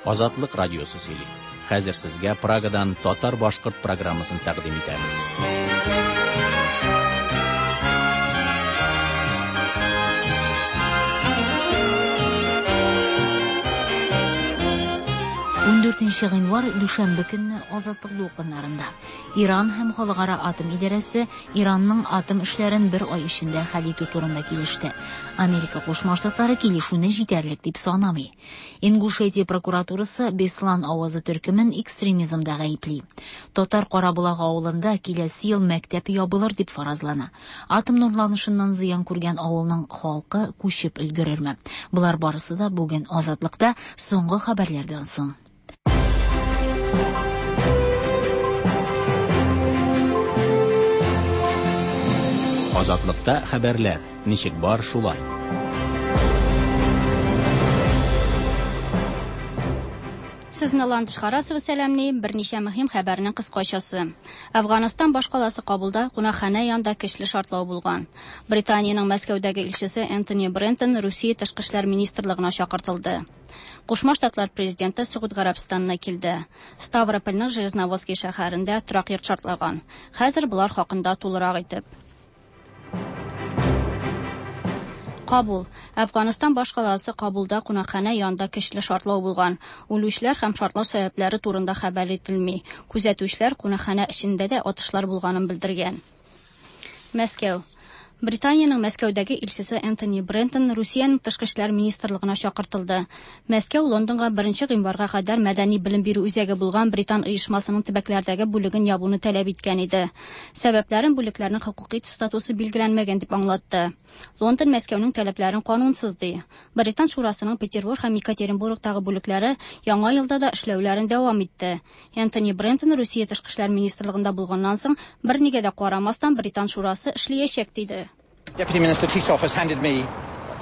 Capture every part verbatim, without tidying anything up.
Азатлык радиосы сөйли. Хәзер сезгә Прагадан татар-башкорт программасын тәкъдим итәбез. ун дүртенче гыйнвар дүшәмбе көнне Азатлык дулкыннарында Иран һәм Халыкара атом идарәсе Иранның атом эшләрен бер ай эчендә хәл итү турында килеште. Америка Кушма Штатлары килешүне җитәрлек дип санамый. Ингушетия прокуратурасы Беслан авазы төркемен экстремизмда гаепли. Татар Караболак авылында киләсе ел мәктәп ябылыр дип фаразлана. Атом нурланышыннан зыян күргән авылның халкы күчеп өлгерерме? Болар барысы да бүген Азатлыкта соңгы хәбәрләрдән соң. Азатлыкта хәбәрләр ничек бар шулай. Сезне Ландыш Харасова сәламли, берничә мөһим хәбәрнең кыскачасы. Әфганстан башкаласы Кабулда кунакханә янында көчле шартлау булган. Британиянең Мәскәүдәге илчесе Энтони Брентон Русия тышкы эшләр министрлыгына чакыртылды. Кушма Штатлар президенты Согуд Гарәбстанына килде. Ставропольның Железноводский шәһәрендә торак йорт шартлаган. Хәзер болар хакында тулырак итеп. Кабул. Әфганстан башкаласы Кабулда кунакханә янында көчле шартлау булган. Үлүчеләр һәм шартлау сәбәпләре турында хәбәр ителми. Күзәтүчеләр кунакханә эчендә дә атышлар булганын белдергән. Мәскәү. Британиянең Мәскәүдәге илчесе Энтони Брентон Русиянең тышкы эшләр министрлыгына чакыртылды. Мәскәү Лондонга беренче гыйнварга кадәр мәдәни белем бирү үзәге булган Британ оешмасының төбәкләрдәге бүлеген ябуны таләп иткән иде. Сәбәпләрен бүлекләрнең хокукый статусы билгеләнмәгән дип аңлатты. Лондон Мәскәүнең таләпләрен канунсыз ди. Британ шурасының Петербург һәм Екатеринбургтагы бүлекләре яңа елда да эшләүләрен дәвам итте. Энтони Брентон Русия тышкы эшләр министрлыгында булганнан соң бернигә дә карамастан Британ шурасы эшләячәк диде. Deputy Minister Titov has handed me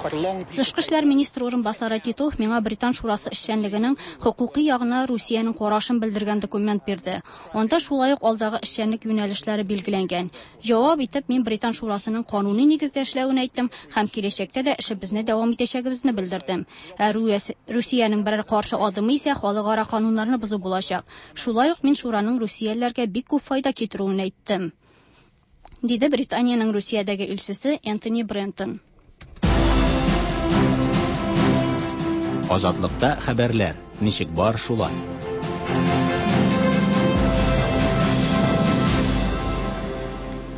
quite a long piece. Тышкы эшләр министры урынбасары Титов миңа Британ шурасы эшчәнлегенең хокукый ягына Русиянең карашын белдергән документ бирде. Анда шулай ук алдагы эшчәнлек юнәлешләре билгеләнгән. Җавап итеп мин Британ шурасының кануни нигездә эшләвен әйттем һәм киләчәктә дә эшебезне дәвам итәчәгебезне белдердем. Ә Русиянең берәр каршы адымы исә халыкара кануннарны бозу булачак. Шулай ук мин шураның русиялеләргә бик күп файда китерүен әйттем. Диде Британиянең Русиядәге илчесе Энтони Брентон. Азатлыкта хәбәрләр ничек бар шулай.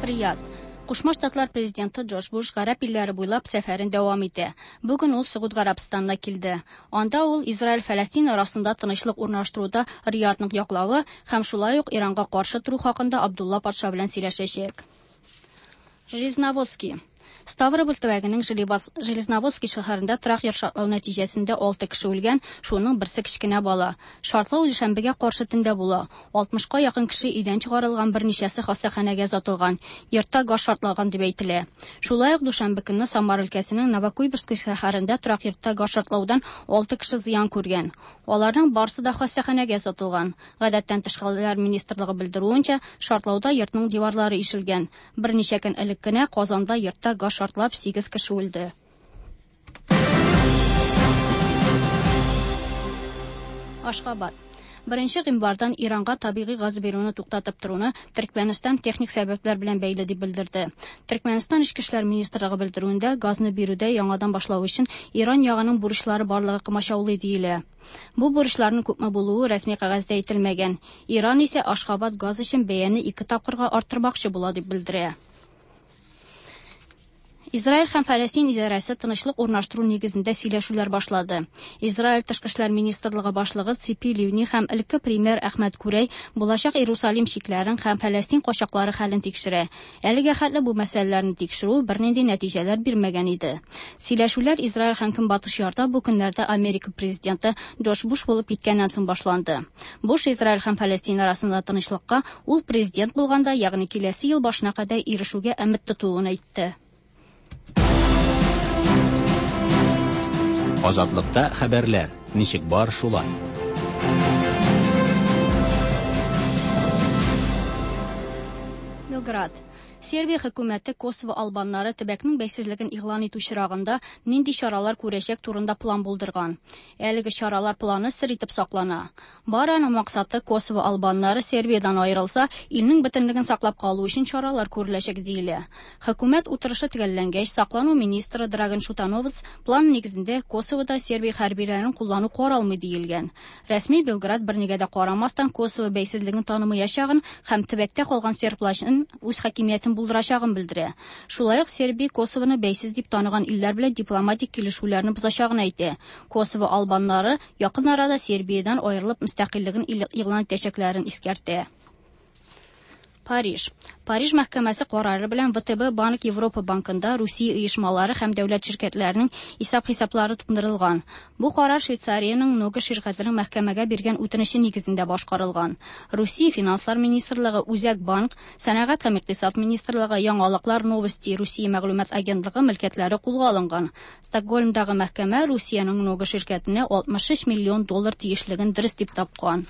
Рияд. Кушма Штатлар президенты Джордж Буш гарәп илләре буйлап сәфәрен дәвам итә. Бүген ул Согуд Гарәбстанына килде. Анда ул Израиль-Фәләстин арасында тынычлык урнаштыруда Риядның яклавы һәм шулай ук Иранга каршы тору хакында Абдулла патша белән сөйләшәчәк. Железноводский. Ставрополь төбәгенең Железноводский шәһәрендә торак йорт шартлау нәтиҗәсендә алты кеше үлгән, шуның берсе кечкенә бала. Шартлау дүшәмбегә каршы төндә була. алтмышка якын кеше өйдән чыгарылган, берничәсе хастаханәгә озатылган. Йортта газ шартлаган дип әйтелә. Шулай ук дүшәмбе көнне Самар өлкәсенең Новокуйбышевский шәһәрендә торак йортта газ шартлаудан алты кеше зыян күргән. Аларның барысы да хастаханәгә озатылган. Гадәттән тыш хәлләр министрлыгы белдерүенчә, шартлауда йортның диварлары ишелгән. Берничә көн элек кенә Казанда йортта газ шартлап сигез кеше үлде. Ашхабад. Беренче гыйнвардан Иранга табигый газ бирүне туктатып торуны Төркмәнстан техник сәбәпләр белән бәйле дип белдерде. Төркмәнстан Эчке эшләр министрлыгы белдерүендә газны бирүдә яңадан башлау өчен Иран ягының бурычлары барлыгы комачаулый диелә. Бу бурычларның күпме булуы рәсми кәгазьдә әйтелмәгән. Иран исә Ашхабад газ өчен бәяне ике тапкырга арттырмакчы була дип белдерә. Израиль һәм Фәләстин идарәсе тынычлык урнаштыру нигезендә сөйләшүләр башлады. Израиль тышкы эшләр министрлыгы башлыгы Ципи Ливни һәм элекке премьер Әхмәт Күрәй булачак Иерусалим чикләрен һәм Фәләстин качаклары хәлен тикшерә. Әлегә хәтле бу мәсьәләләрне тикшерү бернинди нәтиҗәләр бирмәгән иде. Сөйләшүләр Израиль һәм Көнбатыш ярда бу көннәрдә Америка президенты Джордж Буш булып киткәннән соң башланды. Буш Израиль һәм Фәләстин арасында тынычлыкка ул президент булганда, ягъни киләсе ел башына кадәр ирешүгә өмет тотуын әйтте. Азатлыкта хәбәрләр ничек бар шулай. Белград. Сербия хөкүмәте Косово албаннары төбәкнең бәйсезлеген игълан итү чирагында нинди чаралар күрәчәк турында план булдырган. Әлеге чаралар планы сер итеп саклана. Бары аның максаты Косово албаннары Сербиядән аерылса, илнең бөтенлеген саклап калу өчен чаралар күреләчәк диелә. Хөкүмәт утырышы төгәлләнгәч, саклану министры Драган Шутановец план нигезендә Косовода Сербия хәрбиләрен куллану каралмый диелгән. Рәсми Белград бернигә дә карамастан Косово бәйсезлеген танымаячагын һәм төбәктә калган сербларның үз хакимиятен булдырачагын белдерә. Шулай ук Сербия Косовоны бәйсез дип таныган илләр белән дипломатик килешүләрне бозачагын әйтә. Косово албаннары якын арада Сербиядән аерылып мөстәкыйльлеген игълан итәчәкләрен искәртә. Париж. Париж мәхкәмәсе карары белән вэ тэ бэ Банк Европа банкында Русия оешмалары һәм дәүләт ширкәтләренең исәп-хисаплары туңдырылган. Бу карар Швейцариянең Нога ширкәтенең мәхкәмәгә биргән үтенече нигезендә башкарылган. Русия Финанслар министрлыгы, Үзәк банк, Сәнәгать һәм икътисад министрлыгы, Яңалыклар Новости Русия мәгълүмат агентлыгы мөлкәтләре кулга алынган. Стокгольмдагы мәхкәмә Русиянең Нога ширкәтенә алтмыш өч миллион доллар тиешлеген дөрес дип тапкан.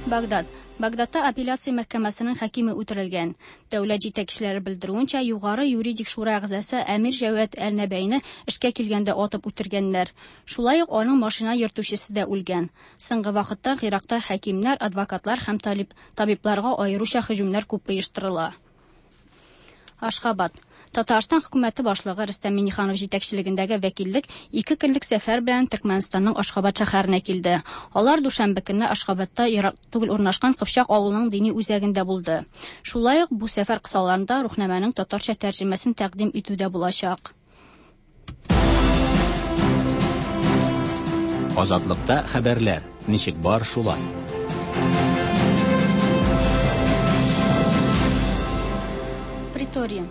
Багдад. Багдадта апелляция мәхкәмәсенең хакиме үтерелгән. Дәүләт җитәкчеләре белдерүенчә, югары юридик шура әгъзасы Әмир Җәвәт Әл-Нәбәйне эшкә килгәндә атып үтергәннәр. Шулай ук аның машина йөртүчесе дә үлгән. Соңгы вакытта Иракта хакимнәр, адвокатлар һәм талиб, табибларга аеруча һөҗүмнәр күп оештырыла. Ашхабад. Татарстан хөкүмәте башлыгы Рөстәм Миңнеханов җитәкчелегендәге вәкиллек ике көнлек сәфәр белән Төркмәнстанның Ашхабад шәһәренә килде. Алар дүшәмбе көнне Ашхабадта ерак түгел урнашкан Кыпчак авылының дини үзәгендә булды. Шулай ук бу сәфәр кысаларында Рухнамәнең татарча тәрҗемәсен тәкъдим итү дә булачак. Азатлыкта хәбәрләр ничек бар шулай. Претория.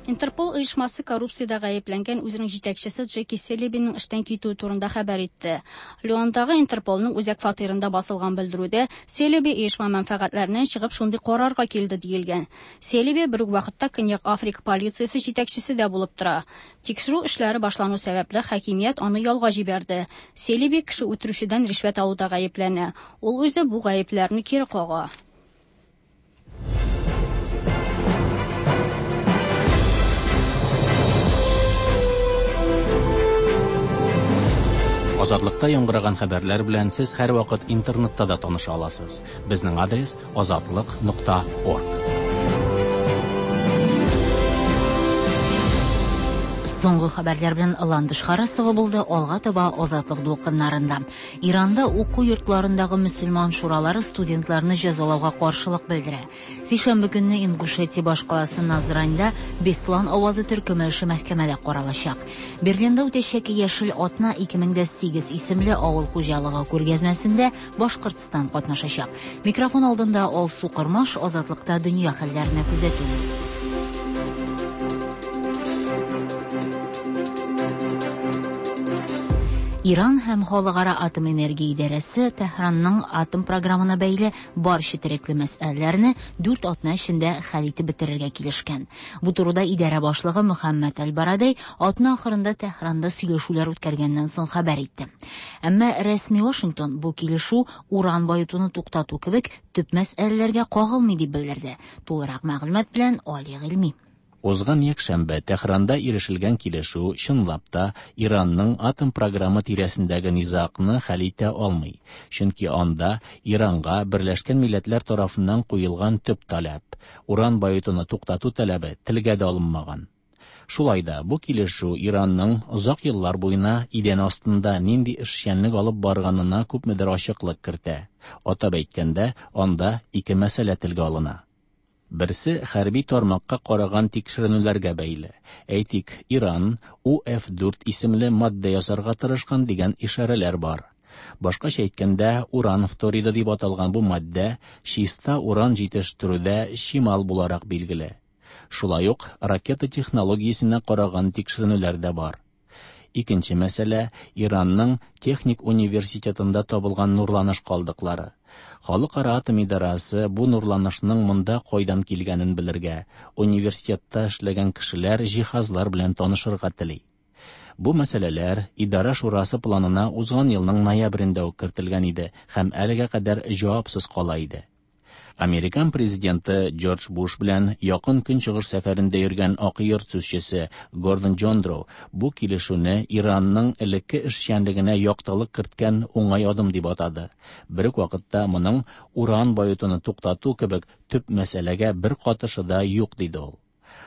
Интерпол оешмасы коррупциядә гаепләнгән үзенең җитәкчесе Джеки Селебиның эштән китүе турында хәбәр итте. Леондагы Интерполның үзәк фатирында басылган белдерүдә Селеби оешма мәнфәгатьләреннән чыгып шундый карарга килде диелгән. Селеби бер үк вакытта Көньяк Африка полициясе җитәкчесе дә булып тора. Тикшерү эшләре башлану сәбәпле хакимият аны ялга җибәрде. Селеби кеше үтерүчедән ришвәт алуда гаепләнә. Ул үзе бу гаепләрне кире кага. Азатлыкта яңгыраган хәбәрләр белән сез һәрвакыт интернетта да таныша аласыз. Безнең адрес азатлык нокта орг. Соңгы хәбәрләр белән Ландыш Харасова булды. Алга таба Азатлык дулкыннарында. Иранда уку йортларындагы мөселман шуралары студентларны җәзалауга каршылык белдерә. Сишәмбе көнне Ингушетия башкаласы Назранда Беслан авазы төркеме эше мәхкәмәдә каралачак. Берлинда үтәчәк Яшел атна ике мең дә сигез исемле авыл хуҗалыгы күргәзмәсендә Башкортстан катнашачак. Микрофон алдында Алсу Кырмаш, Азатлыкта дөнья хәлләренә күзәтү. Иран һәм Халыкара атом энергия идарәсе Тәһранның атом программына бәйле бар четерекле мәсьәләләрне дүрт атна эчендә хәл итеп бетерергә килешкән. Бу турыда идарә башлыгы Мөхәммәд Әл-Барадей атна ахырында Тәһранда сөйләшүләр үткәргәннән соң хәбәр итте. Әмма рәсми Вашингтон бу килешү уран баетуны туктату кебек төп мәсьәләләргә кагылмый дип белдерде. Тулырак мәгълүмат белән Али Гыйльми. Узган якшәмбе Тәһранда ирешелгән килешү чынлап та Иранның атом программы тирәсендәге низагны хәл итә алмый. Чөнки анда Иранга Берләшкән Милләтләр тарафыннан куелган төп таләп, уран баетуны туктату таләбе телгә дә алынмаган. Шулай да бу килешү Иранның озак еллар буена идән астында нинди эшчәнлек алып барганына күпмедер ачыклык кертә. Атап әйткәндә, анда ике мәсьәлә телгә алына. Берсе хәрби тармакка караган тикшеренүләргә бәйле. Әйтик, Иран У Ф дүрт исемле маддә ясарга тырышкан дигән ишарәләр бар. Башкача әйткәндә, уран фториды дип аталган бу маддә чиста уран җитештерүдә чимал буларак билгеле. Шулай ук ракета технологиясенә караган тикшеренүләр дә бар. Икенче мәсьәлә Иранның техник университетында табылган нурланыш калдыклары. Халыкара атом идарәсе бу нурланышның монда кайдан килгәнен белергә, университетта эшләгән кешеләр җиһазлар белән танышырга тели. Бу мәсьәләләр Идарә шурасы планына узган елның ноябрендә үк кертелгән иде һәм әлегә кадәр җавапсыз кала иде. Американ президенты Джордж Буш белән Якын Көнчыгыш сәфәрендә йөргән Ак йорт сүзчесе Гордон Джондроу бу килешүне Иранның элекке эшчәнлегенә яктылык керткән уңай адым дип атады. Бер үк вакытта моның уран баетуны туктату кебек төп мәсьәләгә бер катышы да юк диде ул.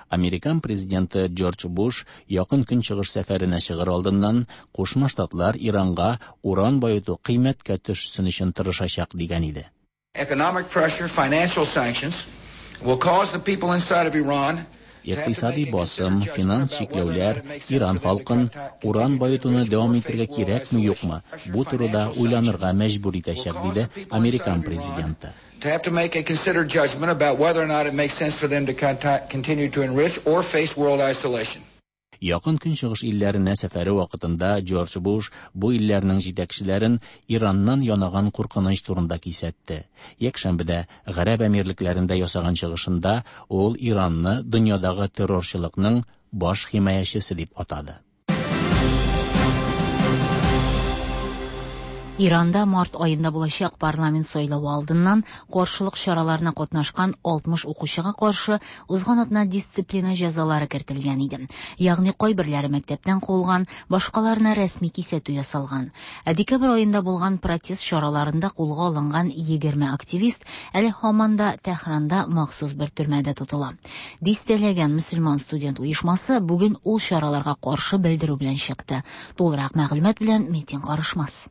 Американ президенты Джордж Буш Якын Көнчыгыш сәфәренә чыгыр алдыннан Кушма Штатлар Иранга уран баету кыйммәткә төшсен өчен тырышачак дигән иде. Economic pressure, financial sanctions will cause the people inside of Iran Икътисади басым, финанс чикләүләр Иран халкын уран баетуны дәвам итәргә кирәкме юкмы, бу турыда уйланырга мәҗбүр итәчәк, диде Американ президенты. To have to make a considered judgment about whether or not it makes sense for them to continue to enrich or face world isolation. Якын Көнчыгыш илләренә сәфәре вакытында Джордж Буш бу илләрнең җитәкчеләрен Ираннан янаган куркыныч турында кисәтте. Якшәмбедә Гарәп Әмирлекләрендә ясаган чыгышында ул Иранны дөньядагы террорчылыкның баш химаячысы дип атады. Иранда март аенда булачак парламент сайлавы алдыннан каршылык чараларына катнашкан алтмыш укучыга каршы узган атна дисциплина җәзалары кертелгән иде. Ягъни кайберләре мәктәптән куылган, башкаларына рәсми кисәтү ясалган. Ә декабрь аенда булган протест чараларында кулга алынган егерме активист әле һаман да Тәһранда махсус бер төрмәдә тотыла. Дистәләгән мөселман студент оешмасы бүген ул чараларга каршы белдерү белән чыкты. Тулырак мәгълүмат белән Метин Карышмас.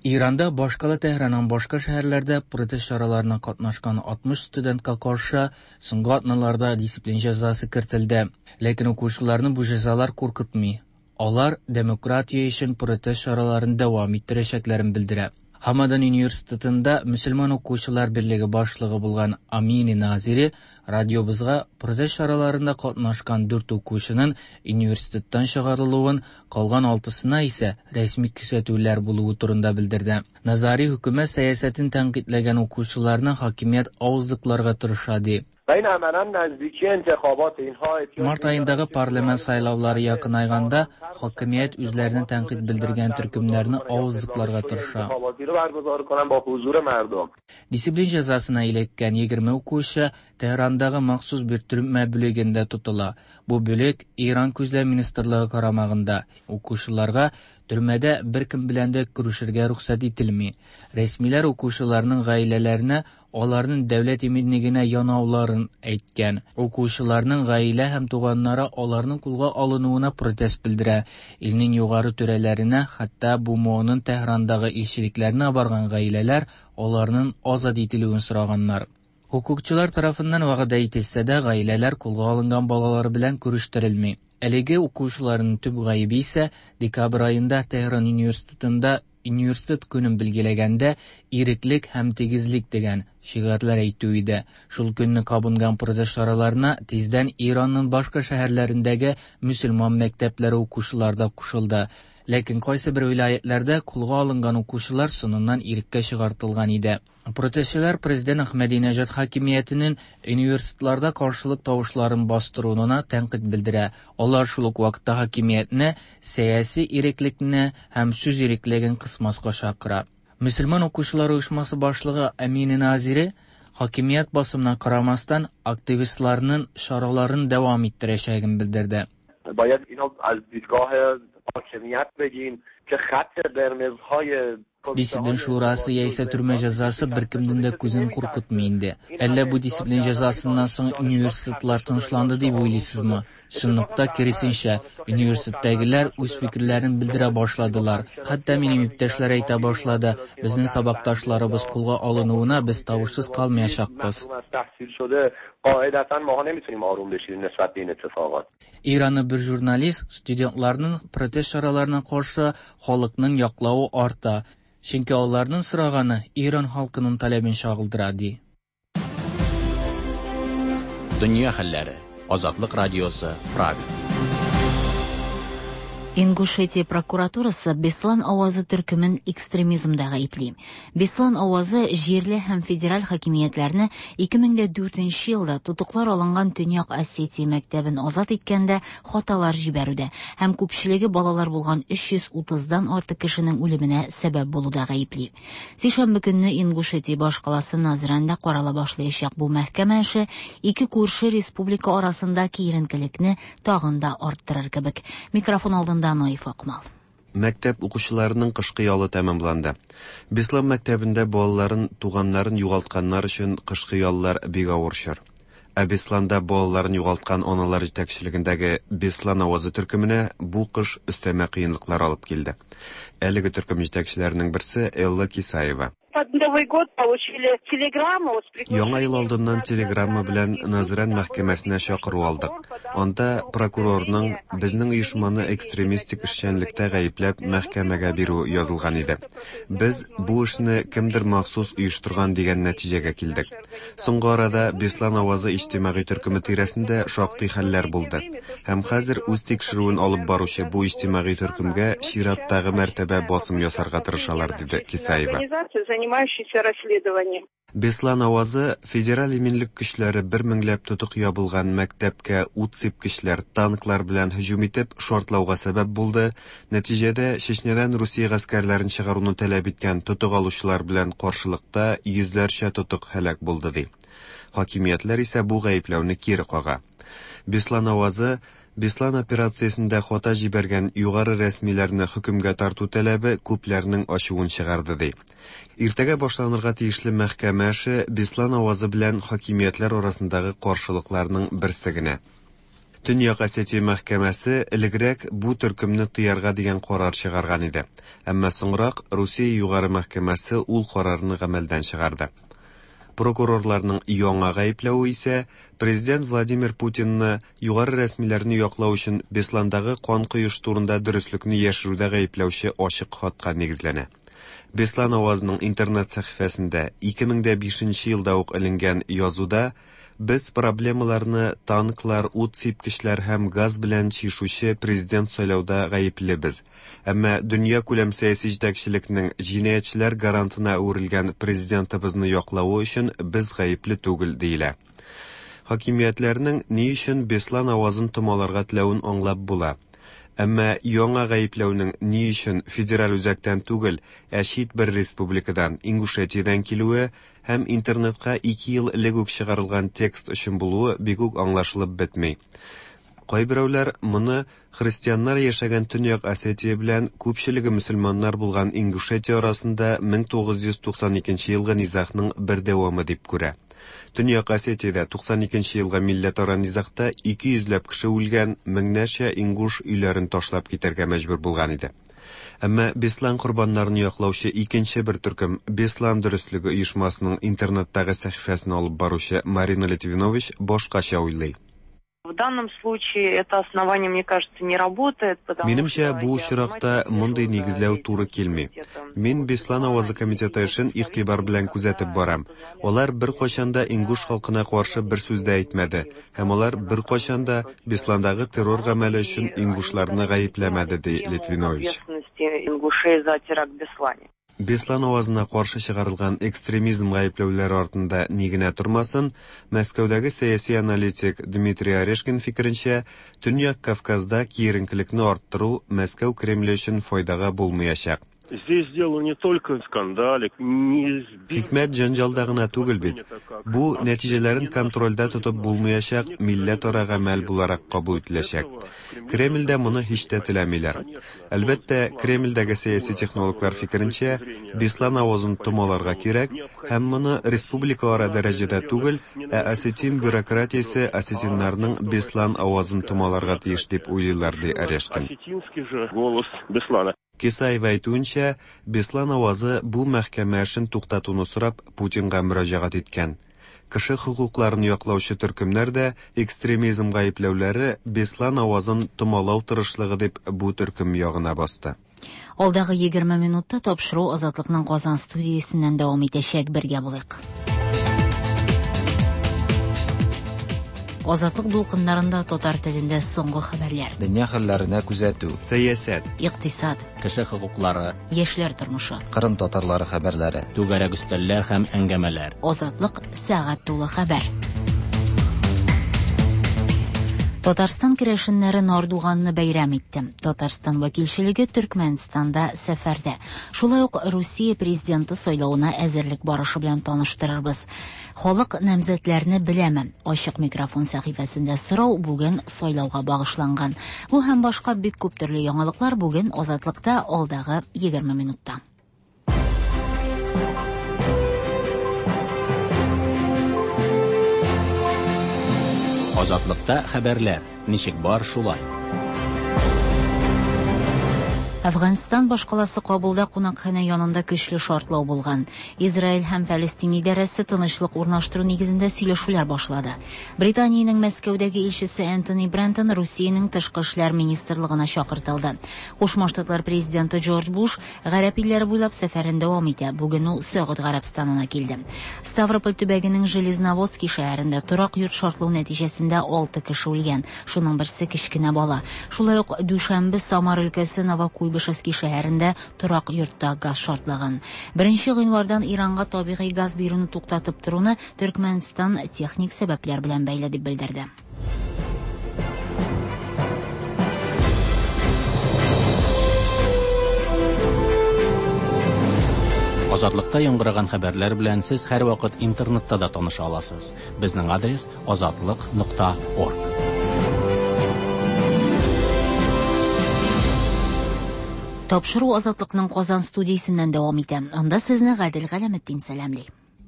Иранда башкала Тәһранның башка шәһәрләрдә протест чараларына катнашкан алтмыш студентка каршы соңгы атналарда дисциплин җәзасы кертелде. Ләкин укучыларны бу җәзалар куркытмый. Алар демократия өчен протест чараларын дәвам иттерәчәкләрен белдерә. Хамадан университетында мөселман укучылар берлеге башлыгы булган Амини Назири радиобызга протест чараларында катнашкан дүрт укучының университеттан чыгарылуын, калган алтысына исә рәсми күрсәтүләр булуы турында белдерде. Назари хөкүмәт сәясәтен тәнкыйтьләгән укучыларны хакимият авызлыкларга тырыша ди. Март айындагы парламент сайлаулары якынайганда, хакимият үзләренә тәнкыйть белдергән төркемнәрне авызлыкларга тырыша. Дисциплин җәзасына эләккән егерме укучы Тәһрандагы махсус бер төрмә бүлегендә тотыла. Бу бүлек Иран күзләү министрлыгы карамагында. Укучыларга төрмәдә беркем белән дә күрешергә рөхсәт ителми. Рәсмиләр укучыларның гаиләләренә аларның дәүләт иминлегенә янауларын әйткән. Укучыларның гаилә һәм туганнары аларның кулга алынуына протест белдерә. Илнең югары түрәләренә, хәтта БМОның Тәһрандагы илчелекләренә барган гаиләләр аларның азат ителүен сораганнар. Хукукчылар тарафыннан вәгъдә ителсә дә, гаиләләр кулга алынган балалар белән күрештерелми. Әлеге укучыларның төп гаебе исә декабрь аенда Тәһран университетында университет көнен билгеләгәндә иреклек һәм тигезлек дигән шигарьләр әйтү иде. Шул көнне кабынган протест чараларына тиздән Иранның башка шәһәрләрендәге мөселман мәктәпләре укучылар да кушылды. Ләкин кайсы бер вилаятләрдә кулга алынган укучылар соңыннан иреккә чыгартылган иде. Протестчылар президент Әхмәдинәҗад хакимиятенең университетларда каршылык тавышларын бастыруына тәнкыйть белдерә. Алар шул ук вакытта хакимиятне сәяси иреклекне һәм сүз иреклеген кысмаска чакыра. Мөселман укучылар оешмасы башлыгы Әмине Назири хакимият басымына карамастан активистларның чараларын дәвам иттерәчәген белдерде. باید اینو از دیدگاه حاکمیت بگیم که خط قرمزهای Дисциплин шурасы яисә төрмә җәзасы беркемнең дә күзен куркытмый инде. Әллә бу дисциплин җәзасыннан соң университетлар тынычланды дип уйлыйсызмы? Чынлыкта киресенчә, университеттагылар үз фикерләрен белдерә башладылар. Хәтта минем иптәшләр әйтә башлады, безнең сабакташларыбыз кулга алынуына без тавышсыз калмаячакбыз. قاعدتاً ماها نمیتونیم آروم بشینیم نسبت به این اتفاقات. Иранлы бер журналист студентларның протест чараларына каршы халыкның яклавы арта. Чөнки аларның сораганы Иран халкының таләбен чагылдыра ди. Дөнья хәлләре. Азатлык радиосы, Прага. Ингушетия прокуратурасы Беслан авазы төркемен экстремизмда гаепли. Беслан авазы җирле һәм федераль хакимиятләрне ике мең дә дүртенче елда тотыклар алынган Төньяк Осетия мәктәбен азат иткәндә хаталар җибәрүдә һәм күпчелеге балалар булган өч йөз утыздан артык кешенең үлеменә сәбәп булуда гаепли. Сишәмбе көнне Ингушетия башкаласы Назранда карала башлаячак бу мәхкәмә эше ике күрше республика арасында киеренкелекне тагын да арттырыр кебек. Микрофон алдында Наиф Акмал. Мәктәп укучыларының кышкы ялы тәмамланды. Беслан мәктәбендә балаларын, туганнарын югалтканнар өчен кышкы яллар бик авыр чор. Ә Бесланда балаларын югалткан аналар җитәкчелегендәге Беслан авазы төркеменә бу кыш өстәмә кыенлыклар алып килде. Әлеге төркем җитәкчеләренең берсе Элла Кисаева. Под Новый год получили телеграмму с приглашением. Яңа ел алдыннан телеграмма белән Назран мәхкәмәсенә чакыру алдык. Анда прокурорның безнең оешманы экстремистик эшчәнлектә гаепләп мәхкәмәгә бирү язылган иде. Без бу эшне кемдер махсус оештырган дигән нәтиҗәгә килдек. Соңгы арада Беслан авазы иҗтимагый төркеме тирәсендә шактый хәлләр булды. Һәм хәзер үз тикшерүен алып баручы бу иҗтимагый төркемгә чираттагы мәртәбә басым ясарга тырышалар, диде Кисаева. Занимающийся расследованием. Беслан авазы федераль иминлек көчләре бер меңләп тотык ябылган мәктәпкә ут сипкечләр, танклар белән һөҗүм итеп шартлауга сәбәп булды. Нәтиҗәдә Чечнядан Русия гаскәрләрен чыгаруны таләп иткән тотык алучылар белән каршылыкта йөзләрчә тотык һәлак булды, ди. Хакимиятләр исә бу гаепләүне кире кага. Беслан авазы Беслан операциясендә хата җибәргән югары рәсмиләрне хөкемгә тарту таләбе күпләрнең ачуын чыгарды, ди. Иртәгә башланырга тиешле мәхкәмә эше Беслан авазы белән хакимиятләр арасындагы каршылыкларның берсе генә. Төньяк Осетия мәхкәмәсе элегрәк бу төркемне тыярга дигән карар чыгарган иде. Әмма соңрак Русия югары мәхкәмәсе ул карарны гамәлдән чыгарды. Прокурорларның яңа гаепләве исә президент Владимир Путинны югары рәсмиләрне яклау өчен Бесландагы кан коеш турында дөреслекне яшерүдә гаепләүче ачык хатка нигезләнә. Беслан авазының интернет сәхифәсендә ике мең дә бишенче елда ук эленгән язуда без проблемаларны танклар, ут сипкечләр һәм газ белән чишүче президент сайлауда гаеплебез. Әмма дөнья күләм сәяси җитәкчелекнең җинаятьчеләр гарантына әверелгән президентыбызны яклавы өчен без гаепле түгел, диелә. Хакимиятләрнең ни өчен Беслан авазын томаларга теләвен аңлап була. Әмма яңа гаепләүнең ни өчен федераль үзәктән түгел, ә чит бер республикадан, Ингушетиядән килүе һәм интернетка ике ел элек үк чыгарылган текст өчен булуы бик үк аңлашылып бетми. Кайберәүләр моны христианнар яшәгән Төньяк Осетия белән күпчелеге мөселманнар булган Ингушетия арасында мең тугыз йөз туксан икенче елгы низагның бер дәвамы дип күрә. Төньяк Осетиядә туксан икенче елгы милләтара низагта ике йөзләп кеше үлгән, меңнәрчә ингуш өйләрен ташлап китәргә мәҗбүр булган иде. Әмма Беслан корбаннарын яклаучы икенче бер төркем Беслан дөреслеге оешмасының интернеттагы сәхифәсен алып баручы Марина Литвинович башкача уйлый. В данном случае это основание, мне кажется, не работает, потому Минемчә, что бу я очракта автоматически мондый вижу, нигезләү да, туры эти килми. комитеты. Мин Беслан авазы комитеты эшен игътибар белән күзәтеп барам. Алар бер кайчан да ингуш халкына каршы бер сүз дә әйтмәде, һәм алар бер кайчан да Бесландагы террор гамәле өчен ингушларны гаепләмәде, ди Литвинович. Ответственности ингушей за теракт в Беслане. Беслан авазына каршы чыгарылган экстремизм гаепләүләре артында ни генә тормасын, Мәскәүдәге сәяси аналитик Дмитрий Орешкин фикеренчә, Төньяк Кавказда киеренкелекне арттыру Мәскәү Кремле өчен файдага булмаячак. Здесь дело не только в скандале, не сбить Хикмәт җәнҗалда гына түгел бит. Бу нәтиҗәләрен контрольдә тотып булмаячак милләтара гамәл буларак кабул ителәчәк. Кремльдә моны һич тә теләмиләр. Әлбәттә, Кремльдәге сәяси технологлар фикеренчә, Беслан авазын томаларга кирәк һәм моны республикалара дәрәҗәдә түгел, ә осетин бюрократиясе осетиннарның Беслан авазын томаларга тиеш дип уйлыйлар, ди Орешкин. Осетинский же голос Беслана. Кисаева әйтүенчә, Беслан авазы бу мәхкәмә эшен туктатуны сорап Путинга мөрәҗәгать иткән. Кеше хокукларын яклаучы төркемнәр дә экстремизм гаепләүләре Беслан авазын томалау тырышлыгы дип бу төркем ягына басты. Алдагы егерме минутта тапшыру Азатлыкның Казан студиясеннән дәвам итәчәк. Бергә булыйк. Азатлык дулкыннарында татар телендә соңгы хәбәрләр. Дөнья хәлләренә күзәтү. Сәясәт. Икътисад. Кеше хокуклары. Яшьләр тормышы. Кырым татарлары хәбәрләре. Түгәрәк өстәлләр һәм әңгәмәләр. Азатлык сәгать тулы хәбәр. Татарстан керәшеннәре Нардуганны бәйрәм итте. Татарстан вәкилчелеге Төркмәнстанда сәфәрдә. Шулай ук Русия президенты сайлавына әзерлек барышы белән таныштырырбыз. Халык намзәтләрне беләме? Ачык микрофон сәхифәсендә сорау бүген сайлауга багышланган. Бу һәм башка бик күп төрле яңалыклар бүген Азатлыкта алдагы егерме минутта. Азатлыкта хәбәрләр ничек бар шулай. Әфганстан башкаласы Кабулда кунакханә янында көчле шартлау булган. Израиль һәм Фәлестин идарәсе тынычлык урнаштыру нигезендә сөйләшүләр башлады. Британиянең Мәскәүдәге илчесе Энтони Брентон Русиянең тышкы эшләр министрлыгына чакыртылды. Кушма Штатлар президенты Джордж Буш гарәп илләре буйлап сәфәрен дәвам итә. Бүген ул Сәгуд Гарәбстанына килде. Ставрополь төбәгенең Железноводский шәһәрендә торак йорт шартлау нәтиҗәсендә алты кеше үлгән. Шуның берсе кечкенә бала. Шулай ук дүшәмбе Самар өлкәсе Новокуй Куйбышевский шәһәрендә торак йортта газ шартлаган. Беренче гыйнвардан Иранга табигый газ бирүне туктатып торуны Төркмәнстан техник сәбәпләр белән бәйле дип белдерде. Азатлыкта яңгыраган хәбәрләр белән сез һәрвакыт интернетта да таныша аласыз. Безнең адрес азатлык нокта орг. Тапшыру Азатлыкның Казан студиясеннән дәвам итә. Анда сезне Гадел Галәметдин сәламли.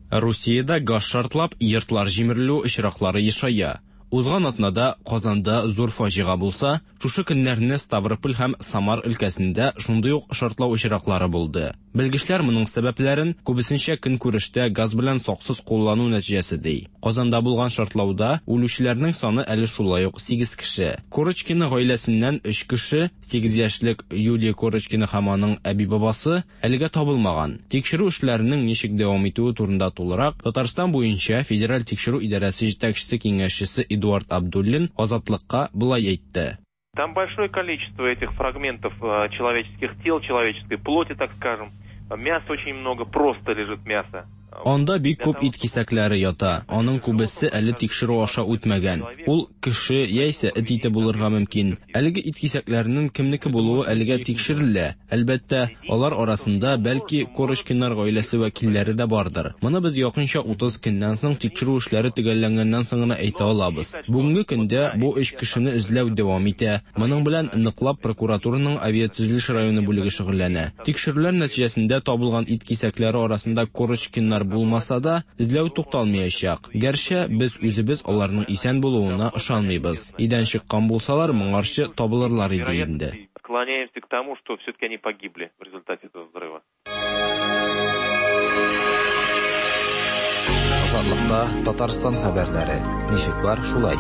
Русиядә газ шартлап, йортлар җимерелү очраклары ешая. Узган атнада Казанда зур фаҗига булса, шушы көннәрне Ставрополь һәм Самар өлкәсендә шундый ук шартлау очраклары булды. Белгечләр моның сәбәпләрен күбесенчә көнкүрештә газ белән саксыз куллану нәтиҗәсе ди. Казанда булган шартлауда үлүчеләрнең саны әле шулай ук сигез кеше. Корочкина гаиләсеннән өч кеше, сигез яшьлек Юлия Корочкина һәм аның әби-бабасы әлегә табылмаган. Тикшерү эшләренең ничек дәвам итүе турында тулырак Татарстан буенча Федераль тикшерү идарәсе җитәкчесе киңәшчесе Эдуард Абдуллин Азатлыкка болай әйтте. Там большое количество этих фрагментов человеческих тел, человеческой плоти, так скажем. Мяса очень много, просто лежит мясо. Анда бик күп ит кисәкләре ята. Аның күбесе әле тикшерү аша үтмәгән. Ул кеше яисә эт ите булырга мөмкин. Әлеге ит кисәкләренең кемнеке булуы әлегә тикшерелә. Әлбәттә, алар арасында бәлки Корочкиннар гаиләсе вәкилләре дә бардыр. Моны без якынча утыз көннән соң тикшерү эшләре төгәлләнгәннән соң гына әйтә алабыз. Бүгенге көндә бу өч кешене эзләү дәвам итә. Моның белән ныклап прокуратураның авиатөзелеш районы бүлеге шөгыльләнә. Тикшерүләр нәтиҗәсендә табылган ит кисәкләре арасында Корочкиннар булмаса да, эзләү тукталмаячак. Гәрчә без үзебез аларның исән булуына ышанмыйбыз. Идән чыккан булсалар, моңарчы табылырлар иде инде. Склоняемся к тому, что все-таки они погибли в результате этого взрыва. Азатлыкта Татарстан хәбәрләре. Ничек бар, шулай.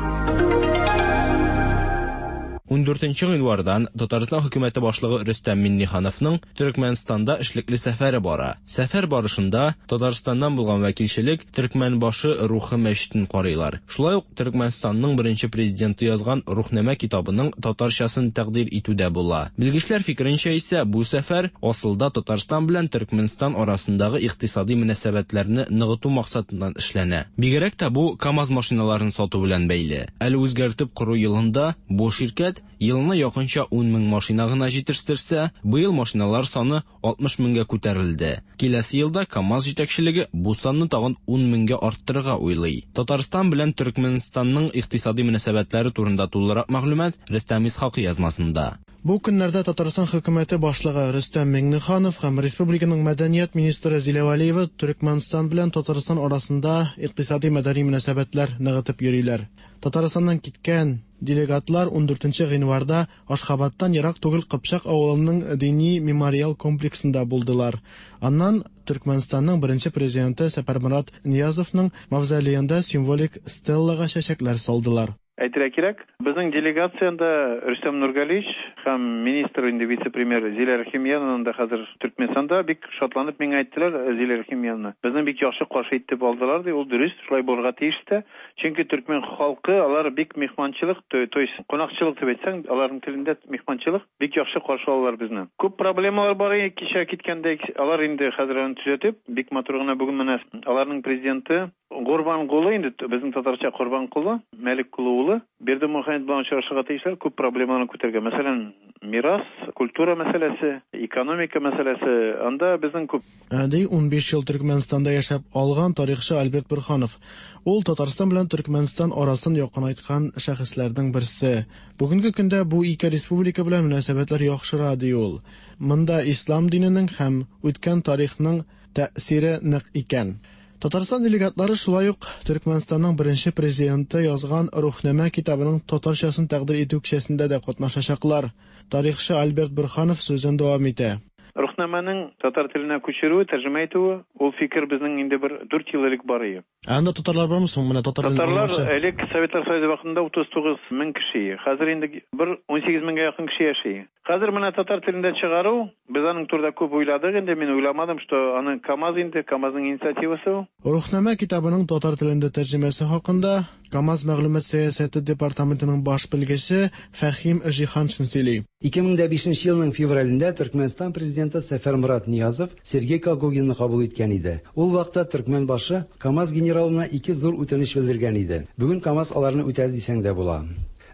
Ундүртенче гыйнвардан Татарстан хөкүмәте башлыгы Рөстәм Миңнехановның Төркмәнстанда эшлекле сәфәре бара. Сәфәр барышында Татарстаннан булган вәкилчелек Төркмәнбашы рухы мәчетен карыйлар. Шулай ук Төркмәнстанның беренче президенты язган Рухнамә китабының татарчасын тәкъдир итүдә була. Белгечләр фикеренчә исә бу сәфәр асылда Татарстан белән Төркмәнстан арасындагы икътисади мөнәсәбәтләрне ныгыту максатыннан эшләнә. Бигрәк тә бу КАМАЗ машиналарын сату белән бәйле. Әле үзгәртеп кору елында бу ширкәт елына якынча ун мең машина гына җитештерсә, быел машиналар саны алтмыш меңгә күтәрелде. Киләсе елда КАМАЗ җитәкчелеге бу санны тагын ун меңгә арттырырга уйлый. Татарстан белән Төркмәнстанның икътисади мөнәсәбәтләре турында тулырак мәгълүмат Рөстәм Исхакый язмасында. Бу көннәрдә Татарстан хөкүмәте башлыгы Рөстәм Миңнеханов һәм республиканың мәдәният министры Зилә Вәлиева Төркмәнстан белән Татарстан арасында икътисади мәдәни мөнәсәбәтләр ныгытып йөриләр. Татарстаннан киткән делегатлар ундүртенче гыйнварда Ашхабадтан ерак түгел Кыпчак авылының дини мемориал комплексында булдылар. Аннан Төркмәнстанның беренче президенты Сәпәрмурат Ниязовның мавзолеенда символик стеллага чәчәкләр салдылар. Әйтергә кирәк, безнең делегациядә Рөстәм Нургалиевич һәм министр инде вице-премьер Зилә Рәхимьяновна да хәзер Төркмәнстанда бик шатланып миңа әйттеләр, Зилә Рәхимьяновна. Безне бик яхшы каршы итеп алдылар ди, ул дөрес, шулай булырга тиеш тә. Чөнки төркмән халкы алар бик мехманчылык, то, то есть кунакчылык дип әйтсәң, аларның телендә мехманчылык, бик яхшы каршы алалар безне. Күп проблемалар бар иде кичә киткәндә, алар инде хәзер аны төзәтеп, бик матур гына бүген менә аларның президенты Гурбангулы, инде безнең татарча Корбанкулы, Мәлик Кулы улы, Бердымөхәммәд белән очрашырга тиешләр, күп проблемаларны күтәргән. Мәсәлән, мирас, культура мәсьәләсе, экономика мәсьәләсе, анда безнең күп. Ди унбиш ел Төркмәнстанда яшәп алган тарихчы Альберт Бурханов. Ул Татарстан белән Төркмәнстан арасын якынайткан шәхесләрнең берсе. Бүгенге көндә бу ике республика белән мөнәсәбәтләр яхшыра, ди ул. Монда ислам диненең һәм үткән тарихның тәэсире нык икән. Татарстан делегатлары шулай ук Төркмәнстанның беренче президенты язган Рухнамә китабының татарчасын тәкъдир итү кичәсендә дә катнашачаклар. Тарихчы Альберт Бурханов сүзен дәвам итә. Рухнамәнең татар теленә күчерүе, тәрҗемә итүе, ул фикер безнең инде бер дүрт ел элек бар иде. Ә анда татарлар бармы соң? Менә татар Татарлар элек Советлар Союзы вакытында утыз тугыз мең кеше, хәзер инде бер унсигез меңгә якын кеше яши. Хәзер менә татар телендә чыгару, без аның турында күп уйладык инде, мин уйламадым, что аны КАМАЗ инде, КАМАЗның инициативасы ул. Рухнамә китабының татар телендә тәрҗемәсе хакында КАМАЗ мәгълүмат сәясәте департаментының баш белгече Фәхим Җиһаншин сөйли. ике мең дә бишенче елның февралендә Төркмәнстан президенты Сәфәрмурат Ниязов Сергей Когогинны кабул иткән иде. Ул вакытта Төркмән башы КАМАЗ генералына ике зур үтенеч белдергән иде. Бүген КАМАЗ аларны үтәде дисәң дә була.